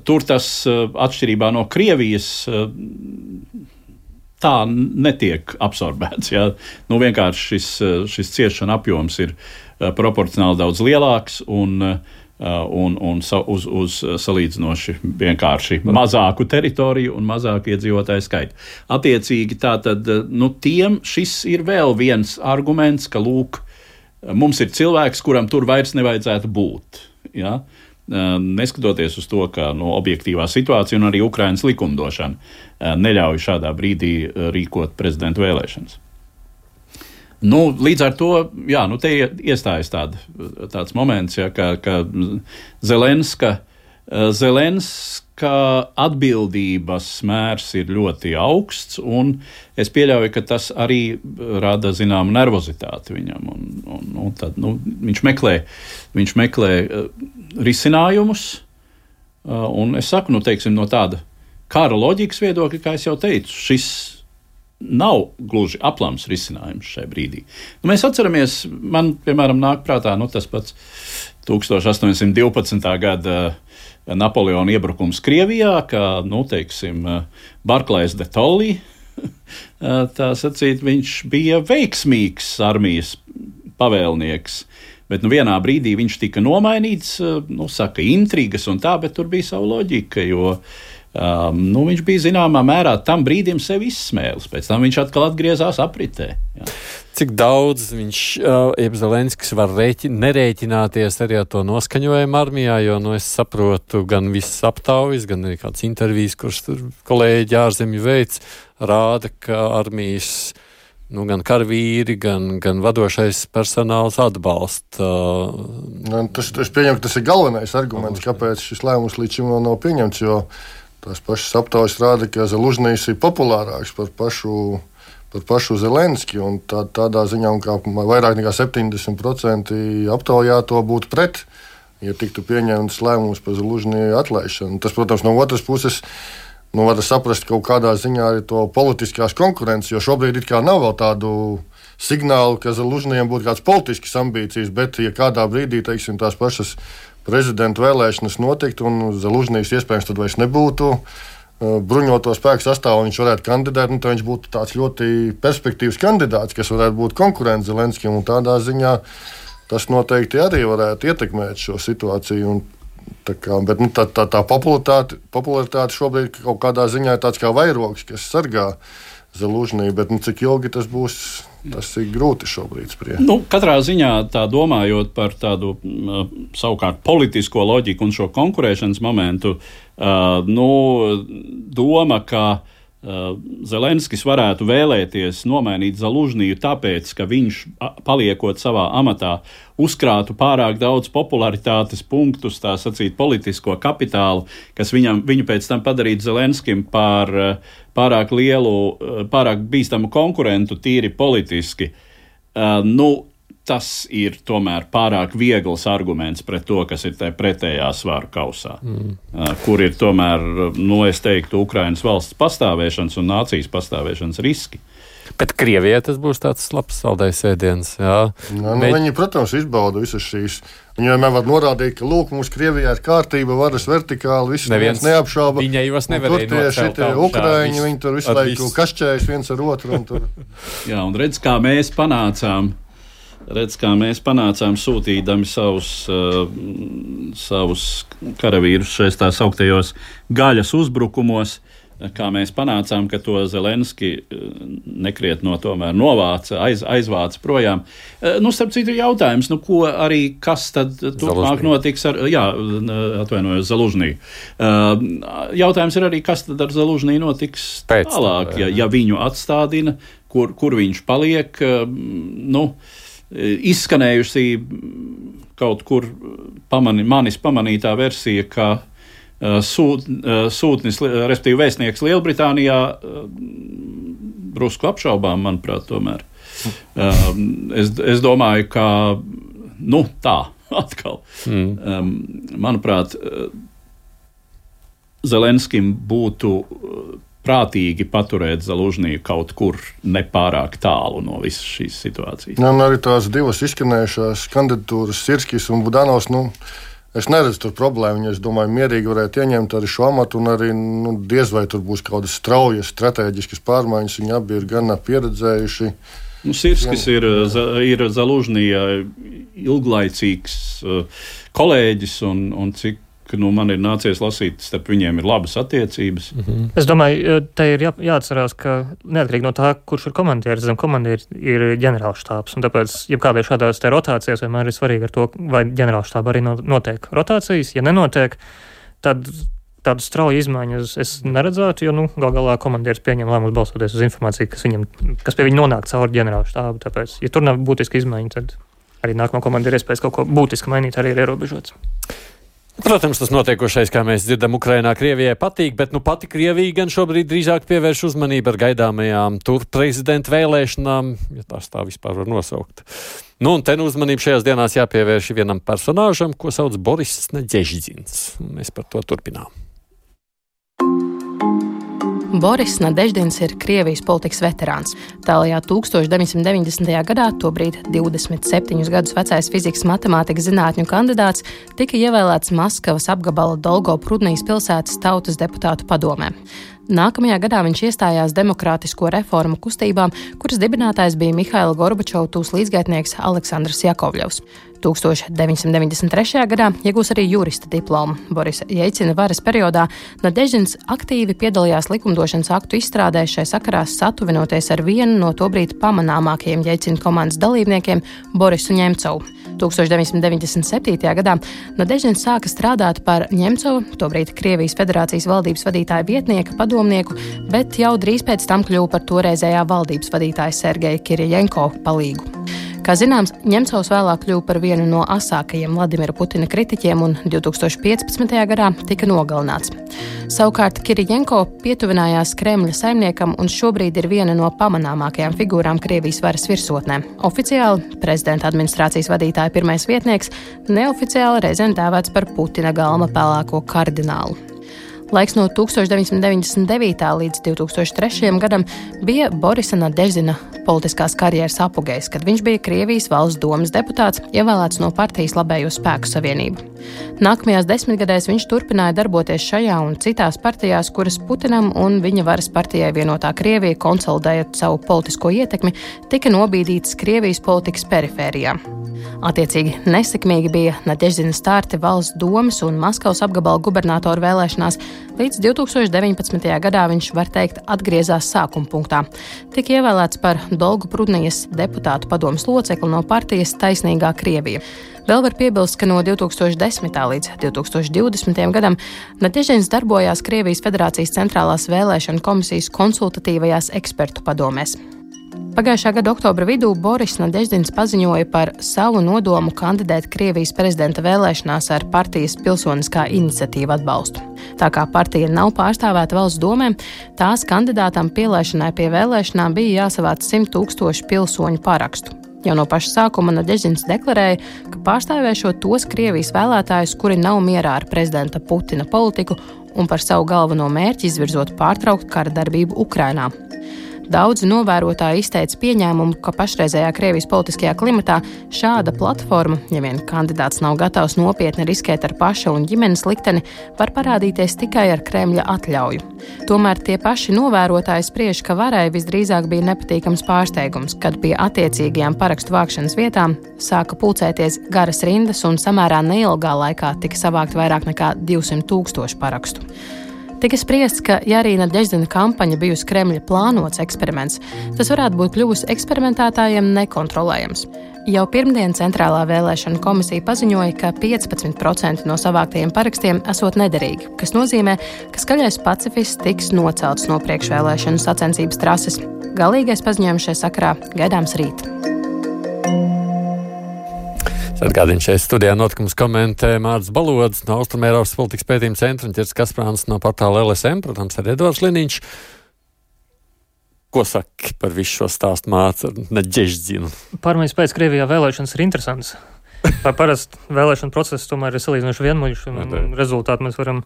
tur tas, atšķirībā no Krievijas, tā netiek absorbēts. Ja? Nu, vienkārši šis, šis ciešana apjoms ir proporcionāli daudz lielāks, un Un, un uz, uz salīdzinoši vienkārši mazāku teritoriju un mazāku iedzīvotāju skaitu. Attiecīgi tātad, nu, tiem šis ir vēl viens arguments, ka, lūk, mums ir cilvēks, kuram tur vairs nevajadzētu būt. Ja? Neskatoties uz to, ka no objektīvā situācija un arī Ukrainas likumdošana neļauj šādā brīdī rīkot prezidentu vēlēšanas. Nu, līdz ar to, jā, nu, te iestājas tād, tāds moments, ja, ka, ka Zelenska, Zelenska atbildības mērs ir ļoti augsts, un es pieļauju, ka tas arī rada zināmu nervozitāti viņam. Un, un, un tad, nu, viņš meklē, viņš meklē risinājumus, un es saku, nu, teiksim, no tāda kara loģikas viedokļa, kā es jau teicu, šis nav gluži aplams risinājums šai brīdī. Nu, mēs atceramies, man, piemēram, nāk prātā nu, tas pats tūkstoš astoņsimt divpadsmitā gada Napoleona iebrukums Krievijā, kā, nu, teiksim, Barklais de Tolly, tā sacīt, viņš bija veiksmīgs armijas pavēlnieks, bet nu, vienā brīdī viņš tika nomainīts, nu, saka, intrigas un tā, bet tur bija savu loģika, jo Um, nu, viņš bija zināmā mērā tam brīdim sevi izsmēlis, pēc tam viņš atkal atgriezās apritē. Jā. Cik daudz viņš, uh, Zelenskis var rēķi, nerēķināties arī ar to noskaņojumu armijā, jo, nu, es saprotu, gan viss aptaujas, gan arī kāds intervijas, kurš tur kolēģi ārzemju veids, rāda, ka armijas, nu, gan karavīri, gan, gan vadošais personāls atbalsta. Uh, tas, es pieņemu, ka tas ir galvenais arguments, kāpēc šis lēmums līdz šim vēl nav pieņemts, jo tās pašas aptaujas rāda, ka Zelužnijs ir populārāks par pašu, par pašu Zelenski, un tā, tādā ziņā, un kā vairāk nekā septiņdesmit procenti aptaujā to būtu pret, ja tiktu pieņemts lēmums par Zelužniju atlaišanu. Tas, protams, no otras puses, nu, var saprast kaut kādā ziņā arī to politiskās konkurences, jo šobrīd it kā nav vēl tādu signālu, ka Zelužnijam būtu kāds politisks ambīcijas, bet ja kādā brīdī, teiksim, tās pašas prezidenta vēlēšanas notiktu un Zelužnijs iespējams tad vairs nebūtu bruņoto spēku sastāvā, viņš varētu kandidēt, un tad viņš būtu tāds ļoti perspektīvs kandidāts, kas varētu būt konkurents Zelenskim, un tādā ziņā tas noteikti arī varētu ietekmēt šo situāciju. Un tā kā, bet nu, tā, tā, tā popularitāte, popularitāte šobrīd kaut kādā ziņā ir tāds kā vairogs, kas sargā Zelužniju, bet nu, cik ilgi tas būs, tas ir grūti šobrīd spriest. Nu, katrā ziņā tā domājot par tādu uh, savukārt politisko loģiku un šo konkurēšanas momentu, uh, nu, doma, ka uh, Zelenskis varētu vēlēties nomainīt Zelužniju tāpēc, ka viņš, paliekot savā amatā, uzkrātu pārāk daudz popularitātes punktus, tā sacīt, politisko kapitālu, kas viņam, viņu pēc tam padarītu Zelenskim par uh, pārāk lielu, pārāk bīstamu konkurentu tīri politiski, uh, nu, tas ir tomēr pārāk viegls arguments pret to, kas ir tajā pretējā svaru kausā, mm. uh, kur ir tomēr, nu, es teiktu, Ukrainas valsts pastāvēšanas un nācijas pastāvēšanas riski. Bet Krievijai tas būs tāds labs saldējs ēdiens. Jā. Nu, Bet... Viņi, protams, izbauda visas šīs. Viņi vienmēr var norādīt, ka lūk, mums Krievijā ir kārtība, varas vertikāli, viss neviens neapšauba. Viņai jūs nevarēja nocelt. Tur tie Ukraiņi, viņi tur visu laiku kašķējas viens ar otru. Un tur... Jā, un redz, kā mēs panācām, redz, kā mēs panācām sūtīdami savus, uh, savus karavīrus šais tās augtajos gaļas uzbrukumos, kā mēs panācām, ka to Zelenski nekriet no tomēr novāca, aiz, aizvāca projām. Nu, starp citu jautājums, nu, ko arī, kas tad turpmāk notiks ar, jā, atvainojos, Zalužnī. Jautājums ir arī, kas tad ar Zalužnī notiks Pēc tālāk, ja, ja viņu atstādina, kur, kur viņš paliek, nu, izskanējusi kaut kur pamani, manis pamanītā versija, ka Sūt, sūtnis, respektīvi vēstnieks Lielbritānijā, drusku apšaubām, manuprāt, tomēr. Es, es domāju, ka, nu, tā, atkal. Mm. Manuprāt, Zelenskim būtu prātīgi paturēt Zalužniju kaut kur nepārāk tālu no visas šīs situācijas. Jā, un arī tās divas izskanējušās kandidatūras, Sirskis un Budanovs, nu, es neredzu tur problēmu. Es domāju, mierīgi varētu ieņemt arī šo amatu, un arī nu, diez vai tur būs kaut kādas straujas, strateģiskas pārmaiņas. Viņi abi ir gan pieredzējuši. Nu, Sirskis ir, ir Zalužnija ilglaicīgs kolēģis, un, un cik nu, man ir nācies lasīt, starp viņiem ir labas attiecības. Mm-hmm. Es domāju, te ir jā, jāatcerās, ka neatkarīgi no tā, kurš ir komandieris, zem komandieris ir ģenerālštābs, un tāpēc, ja kādai šādās te rotācijas, vienmēr ir svarīgi ar to, vai ģenerālštāba arī notiek rotācijas. Ja nenotiek, tad tādu strauju izmaiņu es neredzētu, jo, nu, gal galā komandieris pieņem lēmumus balstoties uz informāciju, kas, viņam, kas pie viņa nonāk caur ģenerālštābu. Tāpēc, ja tur nav būtiska izmaiņa, tad arī nākamā komandieris iespējas kaut ko būtiski mainīt, arī ir ierobežots. Protams, tas notiekošais, kā mēs dzirdam, Ukrainā Krievijai patīk, bet nu pati Krievija gan šobrīd drīzāk pievērš uzmanību ar gaidāmajām tur prezidenta vēlēšanām, ja tās tā vispār var nosaukt. Nu, un te nu uzmanību šajās dienās jāpievērš vienam personāžam, ko sauc Boris Nadeždins. Mēs par to turpinām. Boris Nadeždins ir Krievijas politikas veterāns. Tālajā tūkstoš deviņsimt deviņdesmitajā gadā, tobrīd divdesmit septiņus gadus vecais fizikas matemātikas zinātņu kandidāts, tika ievēlēts Maskavas apgabala Dolgoprudnijas pilsētas tautas deputātu padomē. Nākamajā gadā viņš iestājās demokrātisko reformu kustībām, kuras dibinātājs bija Mihaila Gorbačova tūs līdzgaitnieks Aleksandrs Jakovļevs. tūkstoš deviņsimt deviņdesmit trešajā gadā iegūs arī jurista diplomu. Borisa Jeļcina varas periodā Nadeždins aktīvi piedalījās likumdošanas aktu izstrādē, šai sakarā satuvinoties ar vienu no tobrīd pamanāmākajiem Jeļcina komandas dalībniekiem, Borisu Ņemcovu. tūkstoš deviņsimt deviņdesmit septītajā gadā Nadeždins sāka strādāt par Ņemcovu, tobrīd Krievijas Federācijas valdības vadītāja vietnieka padomnieku, bet jau drīz pēc tam kļuva par toreizējā valdības vadītāja Sergeja Kirjenko palīgu. Kā zināms, Ņemcovs vēlāk kļuva par vienu no asākajiem Vladimira Putina kritiķiem un divtūkstoš piecpadsmitajā gadā tika nogalināts. Savukārt Kirjenko pietuvinājās Kremļa saimniekam un šobrīd ir viena no pamanāmākajām figūrām Krievijas varas virsotnē. Oficiāli prezidenta administrācijas vadītāja pirmais vietnieks, neoficiāli reizēm dēvēts par Putina galma pelēko kardinālu. Laiks no tūkstoš deviņsimt deviņdesmit devītā līdz divtūkstoš trešajam gadam bija Borisa Nadeždina politiskās karjeras apogejs, kad viņš bija Krievijas valsts domas deputāts, ievēlēts no partijas Labējo spēku savienību. Nākamajās desmitgadēs viņš turpināja darboties šajā un citās partijās, kuras Putinam un viņa varas partijai Vienotā Krievija, konsolidējot savu politisko ietekmi, tika nobīdītas Krievijas politikas perifērijā. Attiecīgi nesekmīgi bija Nadeždina starti valsts domas un Maskavas apgabala gubernatoru vēlēšanās. Līdz divtūkstoš deviņpadsmitajā gadā viņš, var teikt, atgriezās sākuma punktā. Tika ievēlēts par Dolgoprudnijas deputātu padomes locekli no partijas Taisnīgā Krievija. Vēl var piebilst, ka no divtūkstoš desmitā līdz divtūkstoš divdesmitajam gadam Nadeždins darbojās Krievijas Federācijas centrālās vēlēšanu komisijas konsultatīvajās ekspertu padomēs. Pagājušā gada oktobra vidū Boris Nadeždins paziņoja par savu nodomu kandidēt Krievijas prezidenta vēlēšanās ar partijas Pilsoniskā iniciatīva atbalstu. Tā kā partija nav pārstāvēta valsts domē, tās kandidātam pielaišanai pie vēlēšanām bija jāsavāc simt tūkstoši pilsoņu parakstu. Jau no paša sākuma Nadeždins deklarēja, ka pārstāvēšot tos Krievijas vēlētājus, kuri nav mierā ar prezidenta Putina politiku un par savu galveno mērķi izvirzot pārtraukt kara darbību Ukrainā. Daudzi novērotāji izteica pieņēmumu, ka pašreizējā Krievijas politiskajā klimatā šāda platforma, ja vien kandidāts nav gatavs nopietni riskēt ar paša un ģimenes likteni, var parādīties tikai ar Kremļa atļauju. Tomēr tie paši novērotāji spriež, ka varai visdrīzāk bija nepatīkams pārsteigums, kad pie attiecīgajām parakstu vākšanas vietām sāka pulcēties garas rindas un samērā neilgā laikā tika savākt vairāk nekā divsimt tūkstoši parakstu. Tika spriests, ka, ja arī Nadeždina kampaņa bijusi Kremļa plānots eksperiments, tas varētu būt kļuvusi eksperimentētājiem nekontrolējams. Jau pirmdien Centrālā vēlēšana komisija paziņoja, ka piecpadsmit procenti no savāktajiem parakstiem esot nederīgi, kas nozīmē, ka skaļais pacifists tiks nocelts no priekšvēlēšanu sacensības trases. Galīgais paziņojums šajā sakarā gaidāms rīt. Atgādina šeit studijā notikumus komentē Mārcis Balodis no Austrumēropas politikas pētījuma centra un Ķirts Kasprāns no portāla L S M, protams, arī Edvards Liniņš. Ko saki par visu šo stāstu, Mārcis, ar Nadeždinu? Pārmaiņas pēc Krievijā vēlēšanas ir interesants. Par parasti vēlēšanu procesu tomēr ir salīdzinoši vienmuļš un, un rezultātu mēs varam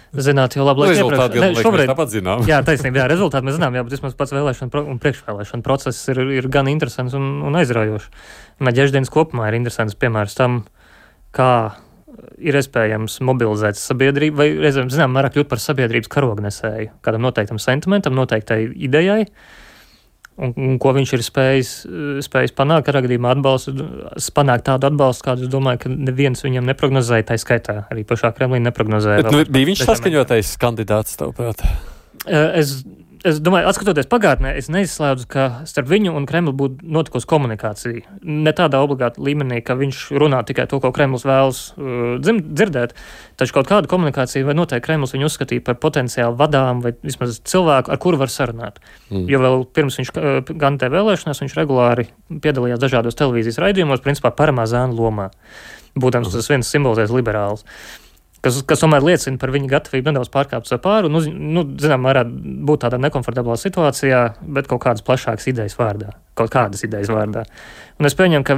zināt jau labi laiku iepriekš. Ne, šobrīd tāpat zinām. Jā, taisnība, jā, rezultāti mēs zinām, jā, bet vismaz pats vēlēšana pro, un priekšvēlēšana process ir, ir gan interesants un, un aizraujošs. Nadeždins kopumā ir interesants piemērs tam, kā ir iespējams mobilizēt sabiedrību, vai reizēm, zinām, mērā kļūt par sabiedrības karognesēju, kādam noteiktam sentimentam, noteiktai idejai, un, un ko viņš ir spējis, spējis panākt, ar gadījumā atbalstu, panākt tādu atbalstu, kādu es domāju, ka neviens viņam neprognozēja, tā skaitā arī pašā Kremlī neprognozēja. Bet, nu, bija viņš saskaņotais kandidāts, tavuprāt? Es, es domāju, atskatoties pagātnē, es neizslēdzu, ka starp viņu un Kremlu būtu notikusi komunikācija. Ne tādā obligāta līmenī, ka viņš runā tikai to, ko Kremls vēlas uh, dzim, dzirdēt, taču kaut kāda komunikācija vai noteikti Kremls viņu uzskatīja par potenciāli vadām vai vismaz cilvēku, ar kuru var sarunāt. Mm. Jo vēl pirms viņš uh, kandidēja vēlēšanās, viņš regulāri piedalījās dažādos televīzijas raidījumos, principā paramā zēna lomā. Būtams tas viens simbolizēs liberāls. Kas, kas tomēr liecina par viņa gatavību nedaudz pārkāpt sev pāri un, uz, nu, zinām, varētu būt tādā nekomfortablā situācijā, bet kaut kādas plašākas idejas vārdā. Kaut kādas idejas vārdā. Un es pieņemu, ka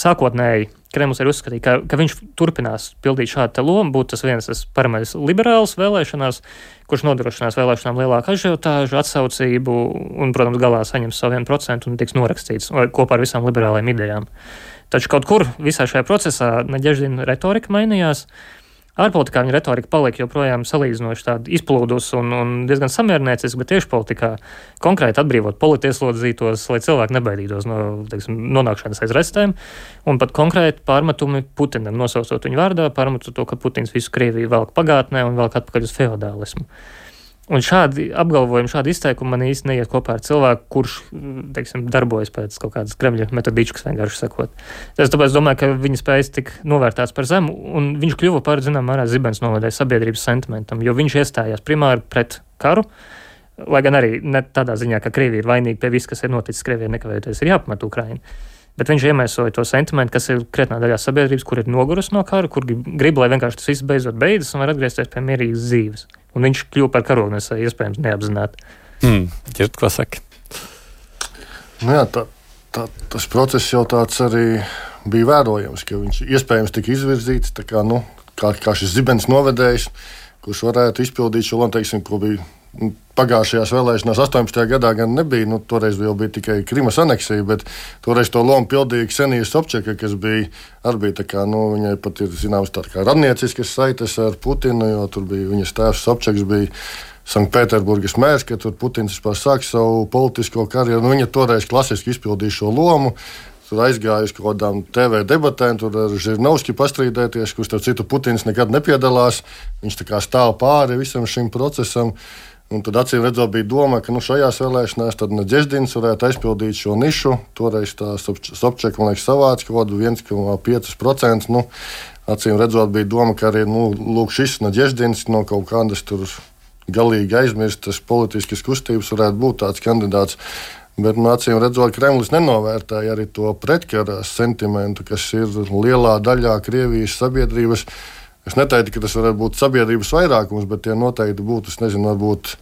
sākotnēji Kremls ir uzskatīja, ka, ka viņš turpinās pildīt šādu te lomu, būt tas viens tas paramais liberāls vēlēšanās, kurš nodrošinās vēlēšanām lielāku ažiotāžu, atsaucību un, protams, galā saņems savu vienu procentu un tiks norakstīts kopā ar visām liberālajām idejām. Taču kaut kur visā šajā procesā Nadeždina retorika mainījās. Ārpolitikā viņa retorika palika joprojām salīdzinoši tāda izplūdus un, un diezgan samiernieciska, bet tieši politikā konkrēti atbrīvot politieslodzītos, lai cilvēki nebaidītos no, teiksim, nonākšanas aiz restēm, un pat konkrēti pārmetumi Putinam, nosaucot viņu vārdā, pārmetot to, ka Putins visu Krieviju velk pagātnē un velk atpakaļ uz feodālismu. Un šādi apgalvojumi, šādi izteikumi man īsti neiet kopā ar cilvēku, kurš, teiksim, darbojas pēc kaut kādas Kremļa metodīčkas, vienkārši sakot. Es tāpēc domāju, ka viņa spējas tik novērtēts par zemu, un viņš kļuva par, zinām, mērā zibens novadēja sabiedrības sentimentam, jo viņš iestājās primāri pret karu, lai gan arī ne tādā ziņā, ka Krievija ir vainīga pie viss, kas ir noticis Krievijai, nekavējoties ir jāpamet Ukrainu. Bet viņš iemēsoja to sentimentu, kas ir krietnā daļā sabiedrības, kur ir nogurusi no kara, kur grib, lai vienkārši tas viss beidzot beidzas un var atgriezties pie mierīgas dzīves. Un viņš kļuva par karognesēju, iespējams, neapzināti. Hmm. Ķirt, ko saka? Nu jā, tā, tā, tas process jau tāds arī bija vērojams, ka viņš iespējams tika izvirzīts tā kā, nu, kā, kā šis zibens novedējs, kurš varētu izpildīt šo lomu, teiksim, ko bija pagājušajās vēlēšanās astoņpadsmitajā gadā gan nebija, nu, toreiz jau bija tikai Krimas aneksija, bet toreiz to lomu pildīja Ksenija Sobčaka, kas bija arī bija tā kā, nu, viņai pat ir zināms tā kā radnieciskas saites ar Putinu, jo tur bija viņas tēvs Sobčaks bija Sanktpēterburgas mērs, ka tur Putins vispār sāk savu politisko karjeru, nu, viņa toreiz klasiski izpildīja šo lomu. Tur aizgāja uz kaut kādām T V debatēm, tur ar Žirnovski pastrīdēties, kurš starp citu Putins nekad nepiedalās. Viņš tā kā stāv pāri visam šim procesam. Un tad acīm redzot bija doma, ka nu, šajās vēlēšanās tad Nadeždins varētu aizpildīt šo nišu. Toreiz tā Sobčaka, man liekas, savāca kaut kādu viens komats pieci procenti. Nu, acīm redzot bija doma, ka arī nu, lūk, šis Nadeždins no kaut kādas tur galīgi aizmirstas politiskas kustības varētu būt tāds kandidāts. Bet, nu, acīm redzot, Kremlis nenovērtēja arī to pretkara sentimentu, kas ir lielā daļā Krievijas sabiedrības. Es neteiktu, ka tas varētu būt sabiedrības vairākums, bet tie noteikti būtu, es nezinu, varbūt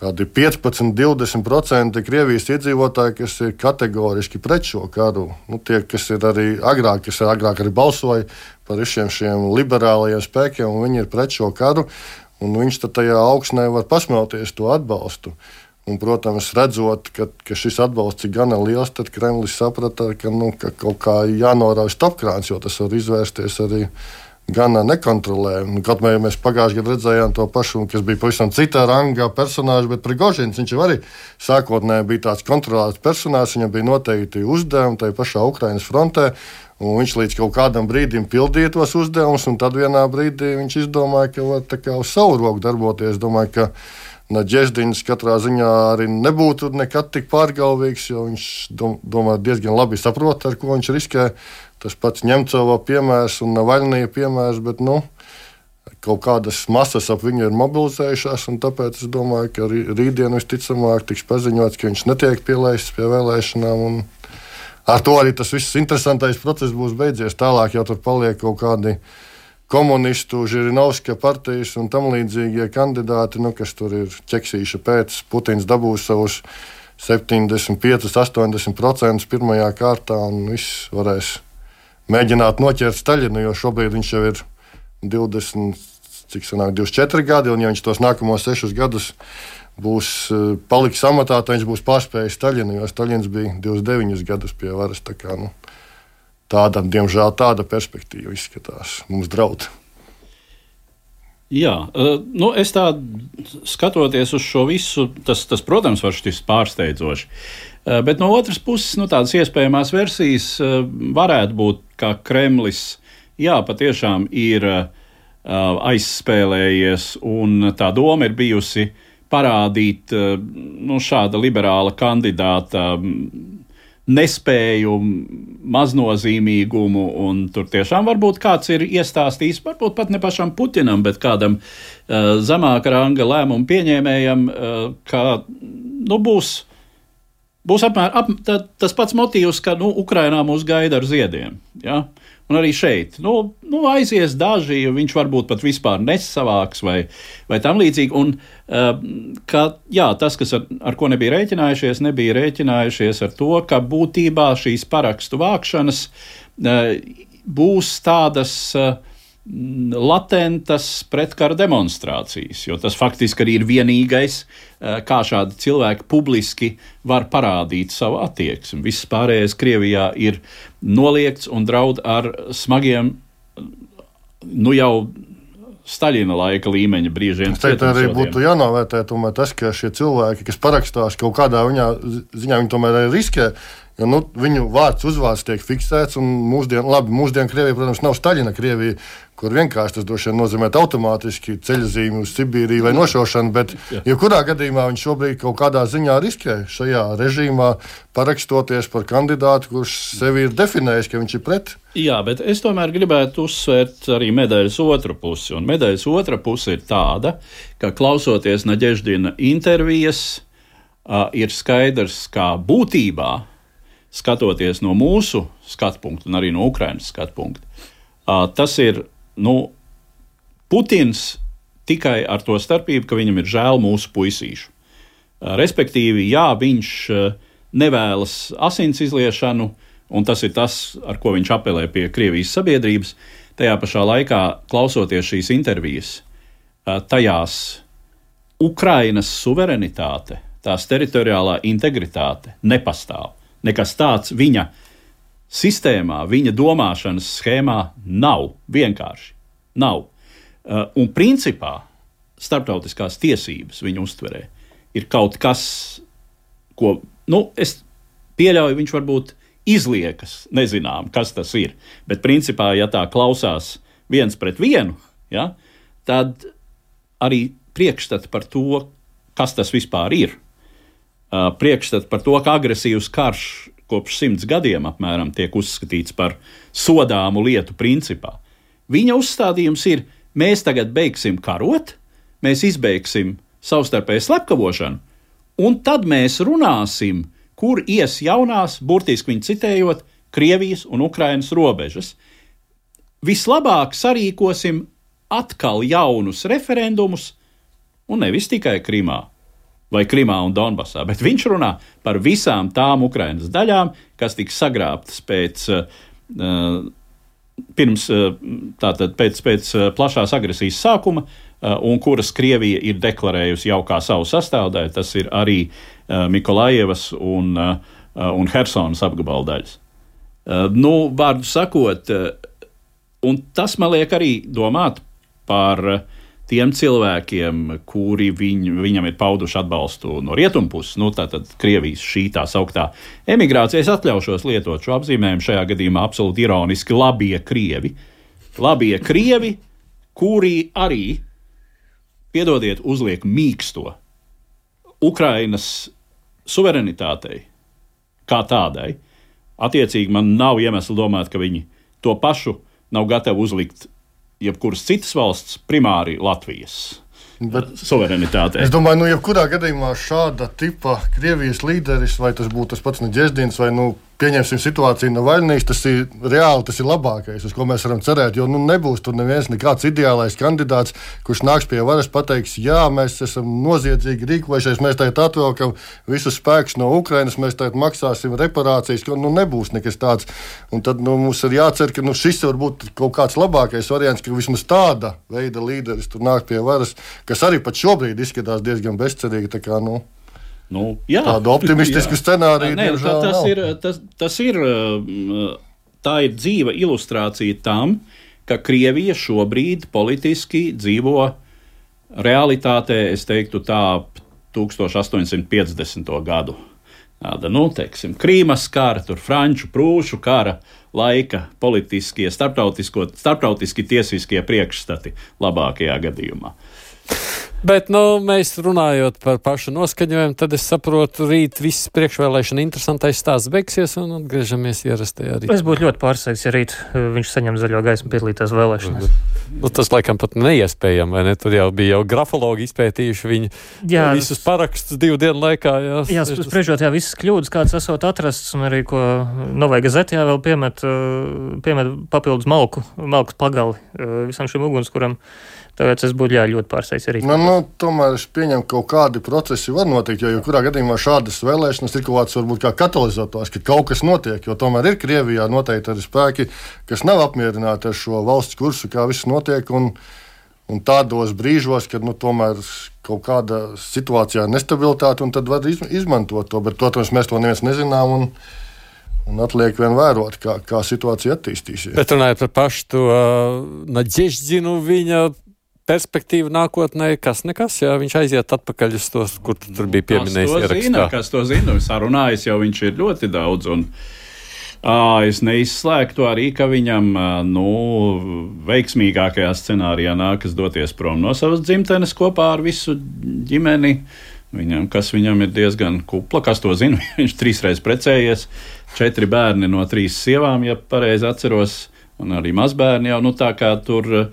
kādi piecpadsmit līdz divdesmit procenti Krievijas iedzīvotāji, kas ir kategoriski pret šo karu. Nu, tie, kas ir arī agrāk, kas ir agrāk arī balsoja par visiem šiem liberālajiem spēkiem, un viņi ir pret šo karu, un viņš tad tajā augsnē var pasmelties to atbalstu. Un, protams, redzot, ka, ka šis atbalsts ir gana liels, tad Kremlis saprata, ka, nu, ka kaut kā jānorauj stopkrāns, jo tas var izvērsties arī gana nekontrolējami. Kaut arī mēs pagājušajā gadā redzējām to pašu, kas bija pavisam citā rangā personāžs, bet Prigožins, viņš jau arī sākotnēji bija tāds kontrolēts personāžs, viņam bija noteikti uzdevumi tajā pašā Ukrainas frontē, un viņš līdz kaut kādam brīdim pildīja tos uzdevumus, un tad vienā brīdī viņš izdomāja, ka var tā kā uz savu roku darboties. Domāju, ka Nadeždins katrā ziņā arī nebūtu nekad tik pārgalvīgs, jo viņš domā, diezgan labi saprot, ar ko viņš riskē. Tas pats Ņemcova piemērs un Navaļnija piemērs, bet nu, kaut kādas masas ap viņu ir mobilizējušās, un tāpēc es domāju, ka rītdien visticamāk tiks paziņots, ka viņš netiek pielaists pie vēlēšanām, un ar to arī tas viss interesantais process būs beidzies. Tālāk jau tur paliek kaut kādi komunistu, Žirinovska partijas un tam līdzīgie kandidāti, nu, kas tur ir ķeksīša pēc. Putins dabūs savus septiņdesmit pieci līdz astoņdesmit procenti pirmajā kārtā, un viss varēs mēģināt noķert Staļinu, jo šobrīd viņš jau ir divdesmit, cik sanāk, divdesmit četri gadi, un ja viņš tos nākamos sešus gadus būs paliks amatā, tad viņš būs pārspējis Staļinu, jo Staļins bija divdesmit deviņus gadus pie varas. Tā kā, nu, tāda, diemžēl, tāda perspektīva izskatās mums draud. Jā, nu es tā skatoties uz šo visu, tas, tas protams, var šķist pārsteidzoši. Bet no otras puses, nu, tādas iespējamās versijas varētu būt, ka Kremlis, jā, patiešām ir aizspēlējies, un tā doma ir bijusi parādīt, nu, šāda liberāla kandidāta nespēju, maznozīmīgumu, un tur tiešām varbūt kāds ir iestāstījis, varbūt pat ne pašam Putinam, bet kādam uh, zemāka ranga lēmumu pieņēmējam, uh, ka nu, būs, būs apmēram ap, tā, tas pats motīvs, ka nu, Ukrainā mūs gaida ar ziediem. Ja? Un arī šeit nu, nu, aizies daži, viņš varbūt pat vispār nesavāks vai, vai tam līdzīgi. Un, uh, ka, jā, tas, kas ar, ar ko nebija rēķinājušies, nebija rēķinājušies ar to, ka būtībā šīs parakstu vākšanas uh, būs tādas uh, latentas pretkara demonstrācijas, jo tas faktiski arī ir vienīgais, uh, kā šādi cilvēki publiski var parādīt savu attieksmi. Viss pārējais Krievijā ir noliegts un draud ar smagiem, nu jau Staļina laika līmeņa brīžiem. Es teiktu, arī būtu jānovērtē tomēr tas, ka šie cilvēki, kas parakstās kaut kādā viņā, ziņā, viņi tomēr arī riskē, jo nu, viņu vārds, uzvārds tiek fiksēts, un mūsdien, labi, mūsdien Krievija, protams, nav Staļina Krievija, kur vienkārši tas droši vien nozīmē automātiski ceļazīmi uz Sibīriju vai nošaušanu, bet jebkurā gadījumā viņš šobrīd kaut kādā ziņā riskē šajā režīmā, parakstoties par kandidātu, kurš sevi ir definējis, ka viņš ir pret. Jā, bet es tomēr gribētu uzsvērt arī medaļas otru pusi, un medaļas otra puse ir tāda, ka klausoties Nadeždina intervijas, uh, ir skaidrs, kā būtībā, skatoties no mūsu skatu punkta un arī no Ukrainas skatu punkta, uh, tas ir, nu, Putins tikai ar to starpību, ka viņam ir žēl mūsu puisīšu. Uh, respektīvi, jā, viņš uh, nevēlas asins izliešanu, un tas ir tas, ar ko viņš apelē pie Krievijas sabiedrības. Tajā pašā laikā, klausoties šīs intervijas, uh, tajās Ukrainas suverenitāte, tās teritoriālā integritāte nepastāv. Nekas tāds viņa sistēmā, viņa domāšanas schēmā nav. Vienkārši nav. Uh, un principā starptautiskās tiesības viņa uztverē ir kaut kas, ko, nu, es pieļauju, viņš varbūt izliekas, nezinām, kas tas ir. Bet principā, ja tā klausās viens pret vienu, ja, tad arī priekšstati par to, kas tas vispār ir. Uh, priekšstats par to, ka agresīvs karš kopš simts gadiem apmēram tiek uzskatīts par sodāmu lietu principā. Viņa uzstādījums ir, mēs tagad beigsim karot, mēs izbeigsim savstarpēju slepkavošanu, un tad mēs runāsim, kur ies jaunās, burtiski viņu citējot, Krievijas un Ukrainas robežas. Vislabāk sarīkosim atkal jaunus referendumus, un nevis tikai Krimā vai Krimā un Donbasā, bet viņš runā par visām tām Ukrainas daļām, kas tiks sagrābtas pēc uh, pirms tātad pēc, pēc plašās agresijas sākuma, un kuras Krievija ir deklarējusi jau kā savu sastāvdaļu, tas ir arī Mikolajevas un, un Hersonas apgabaldaļas. Nu, vārdu sakot, un tas man liek arī domāt par tiem cilvēkiem, kuri viņ, viņam ir pauduši atbalstu no rietumpuses, nu tātad Krievijas šī tā sauktā emigrācija. Es atļaušos lietot šo apzīmējumu šajā gadījumā absolūti ironiski labie Krievi. Labie Krievi, kuri arī, piedodiet, uzliek mīksto Ukrainas suverenitātei kā tādai. Attiecīgi man nav iemesla domāt, ka viņi to pašu nav gatavi uzlikt jebkuras citas valsts, primāri Latvijas Bet suverenitātei. Es domāju, nu, jebkurā gadījumā šāda tipa Krievijas līderis, vai tas būtu tas pats Nadeždins, vai, nu, pieņemsim situāciju Navaļnijas, tas ir reāli, tas ir labākais, uz ko mēs varam cerēt, jo, nu, nebūs tur neviens nekāds ideālais kandidāts, kurš nāks pie varas, pateiks, jā, mēs esam noziedzīgi rīkojušies, mēs tagad atvelkam visus spēkus no Ukrainas, mēs tagad maksāsim reparācijas, ka, nu, nebūs nekas tāds. Un tad, nu, mums ir jācer, ka, nu, šis var būt kaut kāds labākais variants, ka vismaz tāda veida līderis tur nāk pie varas, kas arī pat šobrīd izskatās diezgan bezcerīgi, tā kā, nu, Nu, jā, tādu optimistisku scenāriju. Nē, tā, tas, ir, tas, tas ir, tā ir dzīva ilustrācija tam, ka Krievija šobrīd politiski dzīvo realitātē, es teiktu tā, tūkstoš astoņsimt piecdesmito gadu. Tāda, nu, teiksim, Krīmas kara, tur franču, prūšu kara laika politiskie, starptautiski tiesiskie priekšstati labākajā gadījumā. Bet, nu, mēs runājot par pašu noskaņojumu, tad es saprotu, rīt viss priekšvēlēšana interesantais stāsts beigsies un atgriežamies ierastajā rītā. Es būtu ļoti pārsteigts, ja rīt viņš saņem zaļo gaismu piedalīties vēlēšanās. Nu, tas laikam pat neiespējami, vai ne? Tur jau bija jau grafologi izpētījuši viņu jā, visus parakstus divu dienu laikā. Jā, jā spriežot, jā, visas kļūdas, kādas esot atrasts, un arī, ko Novai Gazetē vēl piemet, piemet papildus malku, malkas pagali visam šim ugunskuram. Tāpēc es būtu jā, ļoti pārsteigts arī. Nu, nu, tomēr es pieņemu, ka kaut kādi procesi var notikt, jo jebkurā gadījumā šādas vēlēšanas ir kaut kāds varbūt kā katalizators, ka kaut kas notiek, jo tomēr ir Krievijā noteikti arī spēki, kas nav apmierināti ar šo valsts kursu, kā viss notiek, un, un tādos brīžos, kad nu, tomēr kaut kāda situācijā nestabilitāte, un tad var izmantot to, bet, protams, mēs to neviens nezinām, un Un atliek vien vērot, kā, kā situācija attīstīsies. Bet runājot par pašu to uh, Nadeždinu, viņa perspektīva nākotnē, kas nekas, jā, viņš aiziet atpakaļ uz tos, kur tur bija pieminējis ierakstā. Kas to zina, sarunājis jau viņš ir ļoti daudz, un ā, es neizslēgtu arī, ka viņam, nu, veiksmīgākajā scenārijā nākas doties prom no savas dzimtenes kopā ar visu ģimeni. Viņam, kas viņam ir diezgan kupla, kas to zina, viņš trīsreiz precējies, četri bērni no trīs sievām, ja pareizi atceros, un arī mazbērni jau, nu tā kā tur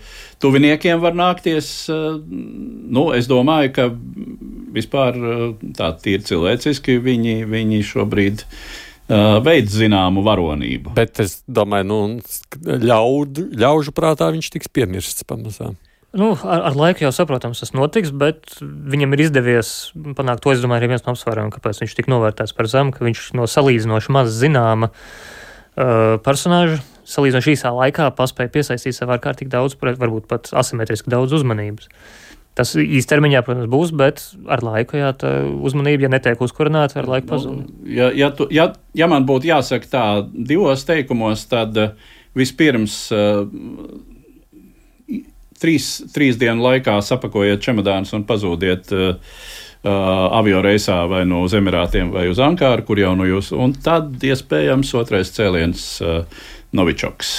tuviniekiem var nākties, nu es domāju, ka vispār tā tīri cilvēciski viņi, viņi šobrīd uh, veids zināmu varonību. Bet es domāju, nu ļaudu, ļaužu prātā viņš tiks piemirsts pamazām. Nu, ar, ar laiku jau saprotams, tas notiks, bet viņam ir izdevies panākt to, es domāju, arī viens no apsvērumiem, kāpēc viņš tik novērtēts par zemu, ka viņš no salīdzinoši maz zināma uh, personāža, salīdzinoši īsā laikā paspēja piesaistīt sev ārkārtīgi daudz, varbūt pat asimetriski daudz uzmanības. Tas īstermiņā, protams, būs, bet ar laiku, jā, tā uzmanība, ja netiek uzkurināta, ar laiku pazūd. Ja, ja, tu, ja, ja man būtu jāsaka tā divos teikumos, tad vispirms uh, Trīs, trīs dienu laikā sapakojiet čemodānus un pazūdiet uh, uh, avioreisā vai no uz Emirātiem vai uz Ankāru, kur jau no jūs, un tad iespējams otrais cēliens uh, Novičoks.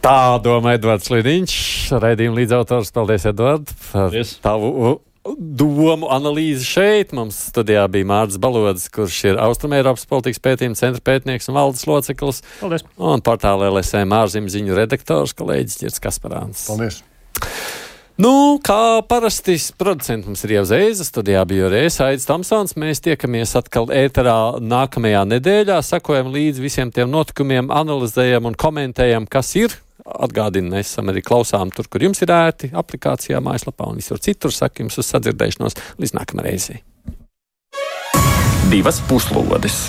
Tā domā Edvards Liniņš, raidījuma līdzautors. Paldies, Edvard, par Paldies. Tavu domu analīzi šeit. Mums studijā bija Mārcis Balodis, kurš ir Austrumeiropas politikas pētījuma centra pētnieks un valdes loceklis. Paldies. Un portāla L S M ārzemju ziņu redaktors kolēģis Ģirds Kasparāns. Paldies. Nu, kā parasti producents mums ir jau Zeiza, studijā bija arī es, Aidis Tomsons. Mēs tiekamies atkal ēterā nākamajā nedēļā, sakojam līdz visiem tiem notikumiem, analizējam un komentējam, kas ir. Atgādinu, mēs esam arī klausām tur, kur jums ir ērti, aplikācijā, mājaslapā un visur citur. Saku jums uz sadzirdēšanos līdz nākamajai reizei. Divas puslodes.